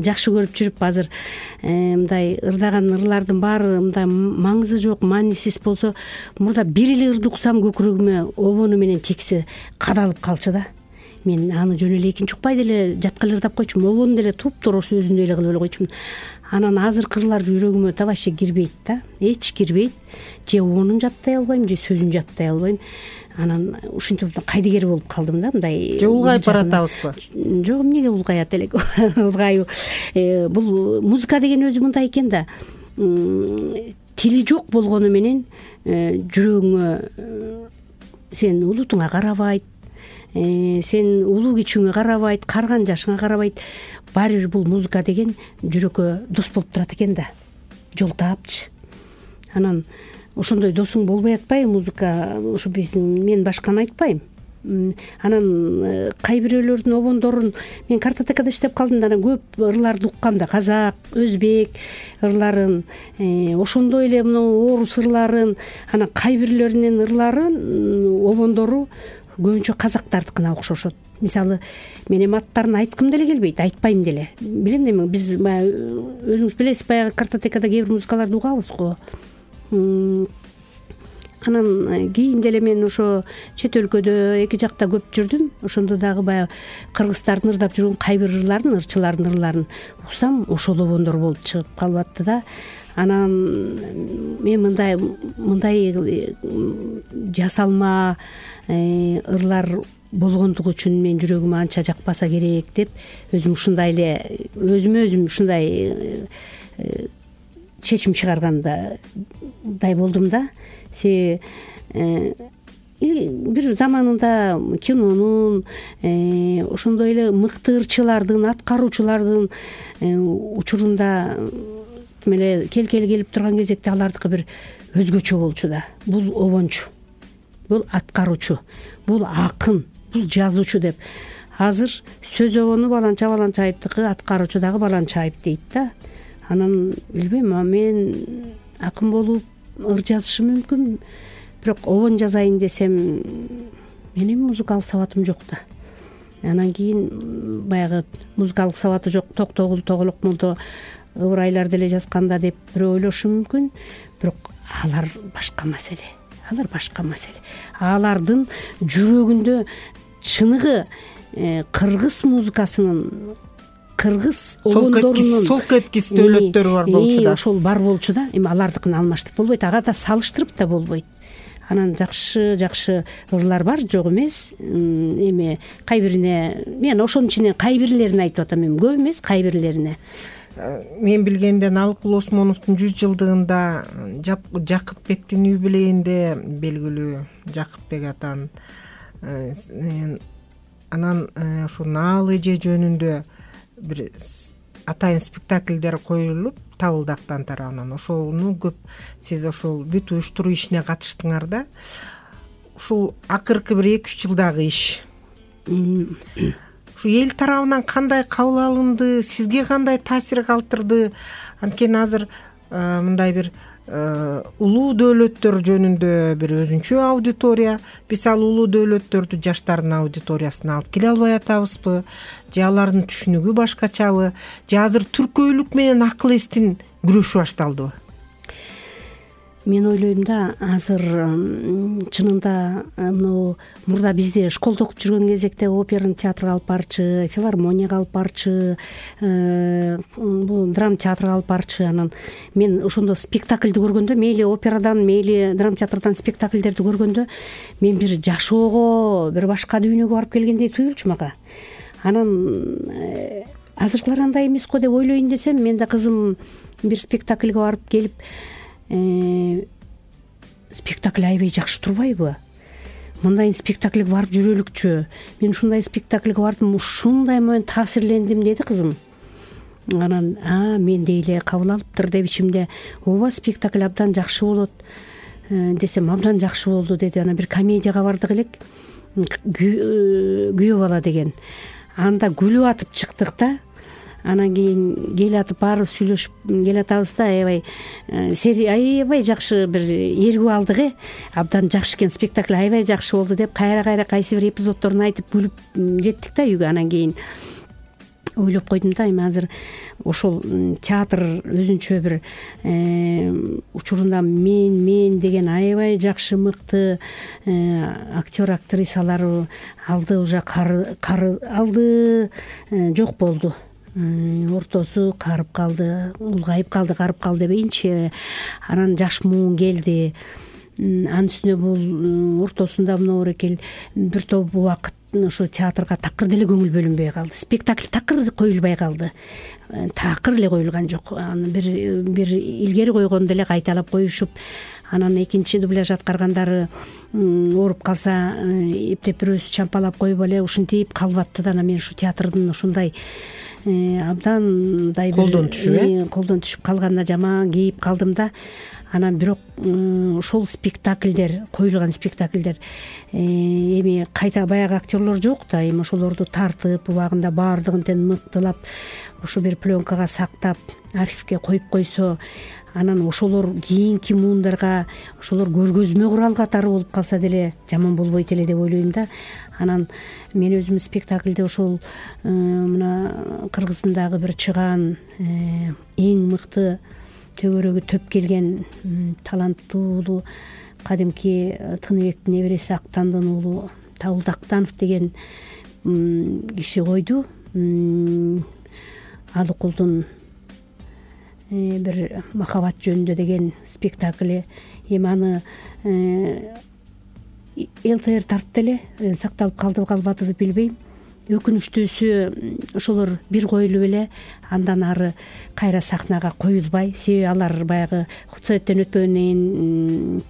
жакшы көрүп жүрүп азыр мындай ырдаган ырлардын баары мындай маңызы жок, маанисиз болсо, мурда бир эле ырды уксам көкүрөгүмө обону менен чекси кадалып калчу да. Мен аны жөн эле экинчи укпай деле жатка эле ырдап койчумун, обону деле туп-туура сөзүндөй эле кылып эле койчумун. Анан азыркы ырлар жүрөгүмө да вообще кирбейт да, эч кирбейт. Же обонун жаттай албайм, же сөзүн жаттай албайм. Анан ушинтип кайдыгер болуп калдым да, мындай. Же улгайып баратабызбы? Жок, эмнеге улгаят элек? Улгайбы. Бул музыка деген өзү мындай экен да. Тили жок болгону менен жүрөгүңө сен улутуңа карабайт, сен улуу кичүүңө карабайт, карган жашыңа карабайт. Баары бир бул музыка деген жүрөккө дос болуп турат экен да, жол таапчы. Анан ошондой досуң болбой атпайбы музыка? Ошо мен башканы айтпайм. Анан кай бирөөлөрдүн обондорун мен картотекада иштеп калдым да, анан көп ырларды уккам да, казак, өзбек ырларын, ошондой эле мына орус ырларын, анан кай бирлеринин ырларын обондору көбүнчө казактардыкына окшошот. Мисалы, мен эми аттарын айткым деле келбейт, айтпайм деле. Билем да, биз өзүңүз билесиз, баягы картотекада кээ бир музыкаларды угабыз го. Анан кийин деле мен ошо чет өлкөдө эки жакта көп жүрдүм. Ошондо дагы баягы кыргыздардын ырдап жүргөн кай бир ырларын, ырчылардын ырларын уксам, ошол обондор болуп чыгып калып атты да. Анан мен мындай жасалма ырлар болгондугу үчүн мен жүрөгүмө анча жакпаса керек деп өзүм ушундай эле өзүмө өзүм ушундай чечим чыгаргандай болдум да. Себеби бир заманында кинонун, ошондой эле мыкты ырчылардын, аткаруучулардын учурунда эле келкели келип турган кезекте алардыкы бир өзгөчө болчу да. Бул обончу, бул аткаруучу, бул акын, бул жазуучу деп. Азыр сөз обону Баланча-Баланчаевдики, аткаруучу дагы Баланчаев дейт да. Анан билбейм, мен акын болуп ыр жазышым мүмкүн, бирок обон жазайын десем менин музыкалык сабатым жок да. Анан кийин баягы музыкалык сабаты жок Токтогул Тоголок молдо ыбырайлар деле жазганда деп бирөө ойлошу мүмкүн, бирок алар башка маселе. Алар башка маселе. Алардын жүрөгүндө чыныгы кыргыз музыкасынын, кыргыз обондорунун солк эткис дөөлөттөрү бар болчу да. Ошол бар болчу да. Эми алардыкын алмаштырып болбойт, ага да салыштырып да болбойт. Анан жакшы ырлар бар, жок эмес. Эми кай бирине мен ошонун ичинен кай бирлерин айтып атам, эми көп эмес, кай бирлерине. Мен билгенден Алыкул Осмоновдун 100 жылдыгында Жакыпбектин үй билегинде белгилүү Жакыпбек атанын анан ушу Наал эже жөнүндө бир атайын спектакльдер коюлуп Табылдактан тарабынан. Ошону көп сиз ошол бүт уюштуруу ишине катыштыңар да. Ушул акыркы бир 2-3 жылдагы иш. Ушу эл тарабынан кандай кабыл алынды, сизге кандай таасир калтырды? Анткени азыр мындай бир улуу дөөлөттөр жөнүндө бир өзүнчө аудитория. Биз ал улуу дөөлөттөрдү жаштардын аудиториясына алып келе албай атабызбы? Же алардын түшүнүгү башкачабы? Же азыр түркөйлүк менен акыл эстин күрөшү башталдыбы? Мен ойлойм да, азыр чынында мына мурда бизде школдо окуп жүргөн кезекте операнын театрга алып барчы, филармонияга алып барчы, бул драма театрга алып барчы. Анан мен ошондо спектакльди көргөндө, мейли операдан, мейли драма театрдан спектакльдерди көргөндө, мен бир жашоого, бир башка дүйнөгө барып келгендей туюлчу мага. Анан азыркылар андай эмес го деп ойлойн десем, мен да кызым бир спектакльге барып келип, спектакль аябай жакшы турбайбы? Мындай спектакльге барып жүрөлүкчү. Мен ушундай спектакльге бардым, ушундай менен таасирлендим деди кызым. Анан мен дейле кабыл алыптыр деп ичимде, ооба спектакль абдан жакшы болот десем, абдан жакшы болду деди. Анан бир комедияга бардык элек, Күйөө бала деген. Анда күлүп атып чыктык да. анан кийин келатып баарыбыз сүйлөшүп келатабыз да, аябай аябай жакшы бир ээргүү алдык, абдан жакшы экен спектакль, аябай жакшы болду деп кайра кайсы бир эпизоддорун айтып күлүп жеттик да үйгө. Анан кийин ойлоп койдум да, эми азыр ошол театр өзүнчө бир учурунда мен деген аябай жакшы мыкты актер актрисалар алды, уже алды жок болду, ортосу карып калды, улгайып калды, карып калды дебейинчи. Анан жаш муун келди, анын үстүнө бул ортосунда мынабырекел бир топ убакыт ошо театрга такыр деле көңүл бөлүнбөй калды, спектакль такыр коюлбай калды, такыр эле коюлган жок. Аны бир илгери койгонду эле кайталап коюшуп, анан экинчи дубляж аткаргандары ооруп калса эптеп бирөөсү чампалап коюп эле ушинтип калып атты да. Анан мен ушу театрдын ушундай абдандай колдон түшүп калганына жаман кейип калдым да. Анан бирок ошол спектакльдер, коюлган спектакльдер эми кайта баягы актерлор жок да, эми ошолорду тартып убагында баардыгын тең мыктылап ошо бир пленкага сактап архивге коюп койсо, анан ошолор кийинки муундарга ошолор көргөзмө курал катары болуп калса деле жаман болбойт эле деп ойлойм да. Анан мен өзүм спектакльде ошол мына Кыргыздагы бир чыгаан эң мыкты төгөрөгү төп келген таланттуу кадимки Тыныбектин небереси Актандын уулу Табылды Актанов деген киши койду. Алыкулдун бир махабат жөнүндө деген спектакли. Эми аны ЛТР тартты эле, сакталып калдыбы калбадыбы билбейм. Өкүнүчтүүсү ошолор бир коюлуп эле андан ары кайра сахнага коюлбай, себеби алар баягы худсоветтен өтпөгөндөн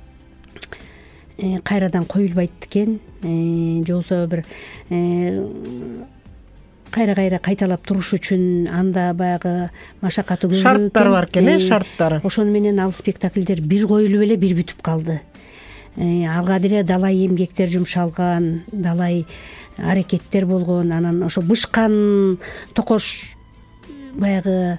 кийин кайрадан коюлбайт экен, же болбосо бир кайра кайталап туруш үчүн анда баягы машакаты көп шарттар бар экен, шарттары. Ошону менен ал спектакльдер бир коюлуп эле бир бүтүп калды. Алга деле далай эмгектер жумшалган, далай аракеттер болгон. Анан ошо бышкан токош баягы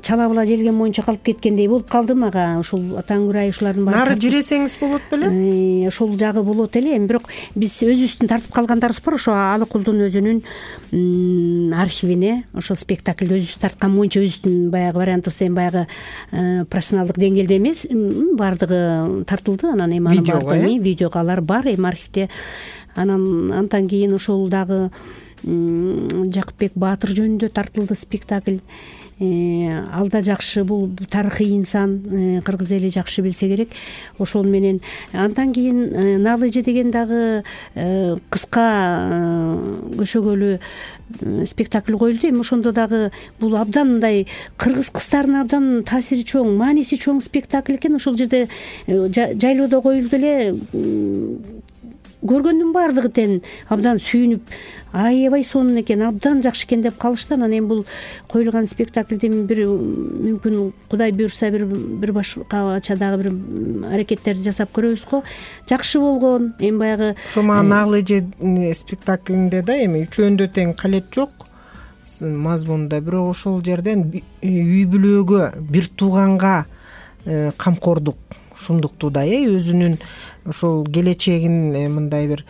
чалабыла желген моюнча калып кеткендей болуп калды мага. Ошол Атаңгүрай ушулардын баары нары жиресеңиз болот беле? Ошол жагы болот эле. Эми бирок биз өзүбүздүн тартып калгандарыбыз бар. Ошо Алыкулдун өзүнүн архивине ошол спектакльди өзүбүз тарткан боюнча өзүбүздүн баягы вариантыбызда, эми баягы профессионалдык деңгээлде эмес, баардыгы тартылды. Анан эми видеого алар бар эми архивде. Анан андан кийин ошол дагы Жакыпбек Баатыр жөнүндө тартылды спектакль. Ал да жакшы, бул тарыхый инсан, кыргыз эли жакшы билсе керек. Ошол менен андан кийин Налыжы деген дагы кыска көшөгөлүү спектакль коюлду. Эми ошондо дагы бул абдан мындай кыргыз кыздарына абдан таасири чоң, мааниси чоң спектакль экен. Ошол жерде жайлоодо коюлду эле, көргөндүн баардыгы тең абдан сүйүнүп, аябай сонун экен, абдан жакшы экен деп калышты. Анан эми бул коюлган спектакльдин бир мүмкүн Кудай буйрса бир башкача дагы бир аракеттерди жасап көрөбүз го. Жакшы болгон. Эми баягы ошо Налыжы спектаклинде да эми үчөөндө тең калет жок мазмунда, бирок ошол жерден үй бүлөгө, бир тууганга камкордук ушундукту да өзүнүн ошол келечегин мындай бир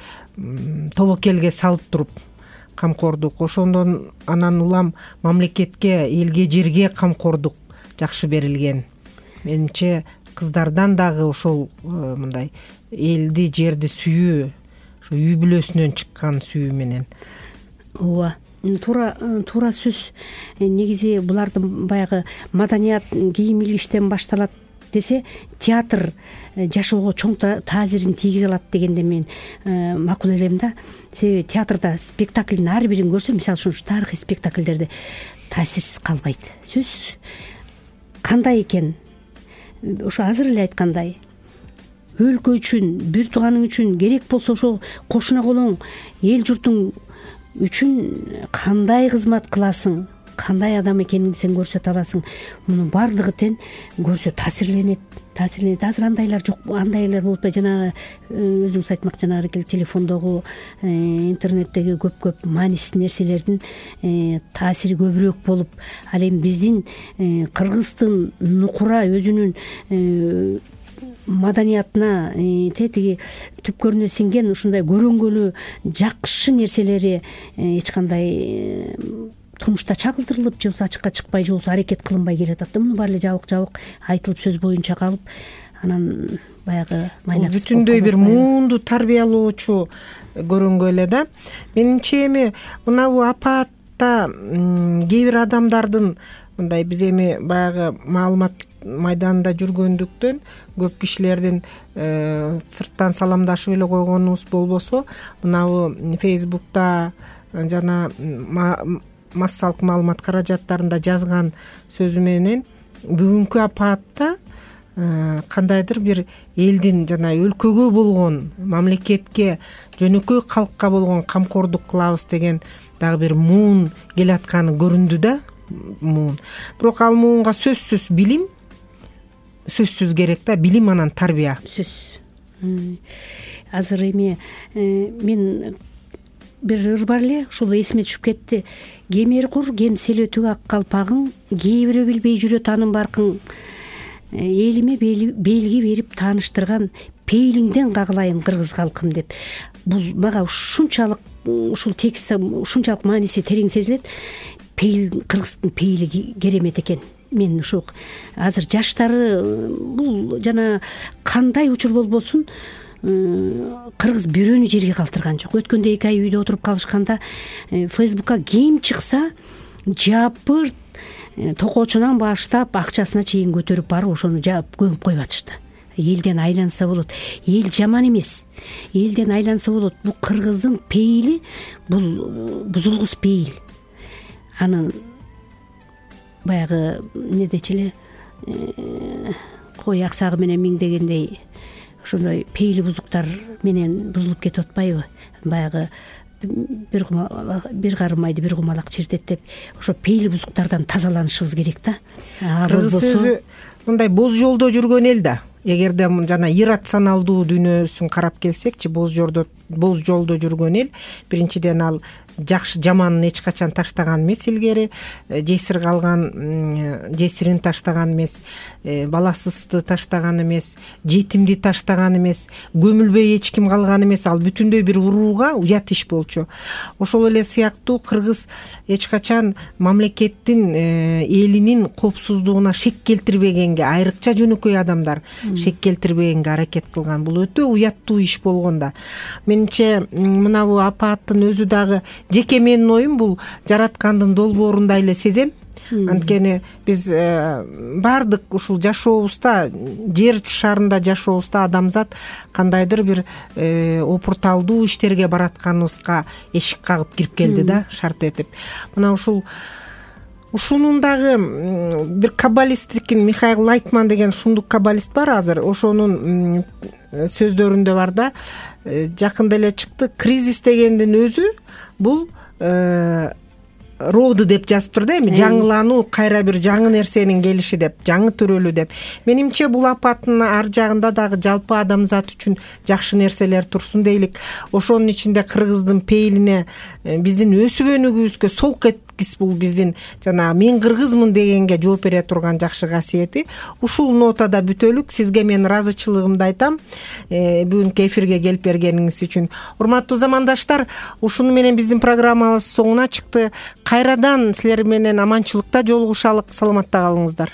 тобокелге салып туруп камкордук. Ошондон анан улам мамлекетке, элге, жерге камкордук жакшы берилген. Менимче кыздардан дагы ошол мындай элди, жерди сүйүү, ошо үй бүлөсүнөн чыккан сүйүү менен. Ооба, туура сөз. Негизи булардын баягы маданият кийим илгиштен башталат десе, театр жашоого чоң таасирин тийгизе алат дегенде мен макул элем да. Себеби театрда спектаклдин ар бирин көрсө, мисалы үчүн тарыхый спектакльдерде таасирсиз калбайт. Сөзсүз кандай экен, ошо азыр эле айткандай, өлкө үчүн, бир тууганың үчүн керек болсо ошо кошуна колоң эл журтуң үчүн кандай кызмат кыласың, кандай адам экенин сен көрсөтө аласың. Мунун баардыгы тең көрсө таасирленет. Азыр андайлар жок, андайлар болуп атпайбы. Жанагы өзүңүз айтмакчы, жанагы телефондогу, интернеттеги көп маанисиз нерселердин таасири көбүрөөк болуп, ал эми биздин кыргыздын нукура өзүнүн маданиятына тиги түпкөрүнө сиңген ушундай көрөнгөлүү жакшы нерселери эч кандай турмушта чагылдырылып, же болбосо ачыкка чыкпай, же болбосо аракет кылынбай келатат да. Мунун баары эле жабык айтылып сөз боюнча калып, анан баягы майлап бүтүндөй бир муунду тарбиялоочу көрөнгө эле да. Менимче эми мынабу апаатта кээ бир адамдардын мындай, биз эми баягы маалымат майданында жүргөндүктөн көп кишилердин сырттан саламдашып эле койгонубуз болбосо, мынабу Facebook'та жана массалык маалымат каражаттарында жазган сөзү менен бүгүнкү апаатта кандайдыр бир элдин жана өлкөгө болгон, мамлекетке, жөнөкөй калкка болгон камкордук кылабыз деген дагы бир муун келатканы көрүндү да. Муун. Бирок ал муунга сөзсүз билим, сөзсүз керек да, билим анан тарбия. Сөз. Азыр эми мен бир ыр бар эле, ушул эсиме түшүп кетти. Кемер кур, кем селөтүк ак калпагың, кээ бирөө билбей жүрөт анын баркың. Элиме белги берип тааныштырган пейлиңден кагылайын кыргыз калкым деп. Бул мага ушунчалык, ушул текст ушунчалык мааниси терең сезилет. Кыргыздын пейили керемет экен. Мен ушу азыр жаштары бул жана кандай учур болбосун кыргыз бирөөнү жерге калтырган жок. Өткөндө 2 ай үйдө отуруп калышканда Facebook'ка ким чыкса жапырт токоочунан баштап акчасына чейин көтөрүп барып ошону жаап көмүп коюп атышты. Элден айланса болот. Эл жаман эмес. Элден айланса болот. Бул кыргыздын пейили, бул бузулгус пейил. Анын баягы недечи эле кой аксагы менен миңдегендей ошондой пейили бузуктар менен бузулуп кетип атпайбы? Баягы бир карым майды бир кумалак чиртет деп, ошо пейили бузуктардан тазаланышыбыз керек да. Кыргыз өзү мындай боз жолдо жүргөн эл да. Эгерде жана иррационалдуу дүйнөсүн карап келсекчи, боз жолдо жүргөн эл, биринчиден ал жакшы жаманын эч качан таштаган эмес илгери, жесирин таштаган эмес, баласызды таштаган эмес, жетимди таштаган эмес, көмүлбөй эч ким калган эмес. Ал бүтүндөй бир урууга уят иш болчу. Ошол эле сыяктуу кыргыз эч качан мамлекеттин, элинин коопсуздугуна шек келтирбегенге, айрыкча жөнөкөй адамдар шек келтирбегенге аракет кылган. Бул өтө уяттуу иш болгон да. Менимче мынабу апааттын өзү дагы, жеке менин оюм, бул жараткандын долбоорундай эле сезем. Анткени биз баардык ушул жашообузда, жер шарында жашообузда адамзат кандайдыр бир опурталдуу иштерге баратканыбызга эшик кагып кирип келди да, шарт этип. Мына ушунун дагы бир каббалисттикин, Михаил Лайтман деген шундук каббалист бар азыр. Ошонун сөздөрүндө бар да, жакында эле чыкты, кризис дегендин өзү бул роду деп жазыптыр да, эми жаңылануу, кайра бир жаңы нерсенин келиши деп, жаңы төрөлүү деп. Менимче бул апаттын ар жагында дагы жалпы адамзат үчүн жакшы нерселер турсун дейлик. Ошонун ичинде кыргыздын пейилине, биздин өсүп өнүгүүбүзгө солк эткис, бул биздин жана мен кыргызмын дегенге жооп бере турган жакшы касиети. Ушул нотада бүтөлүк. Сизге мен ыраазычылыгымды айтам бүгүнкү эфирге келип бергениңиз үчүн. Урматтуу замандаштар, ушуну менен биздин программабыз соңуна чыкты. Кайрадан силер менен аманчылыкта жолугушалык. Саламатта калыңыздар.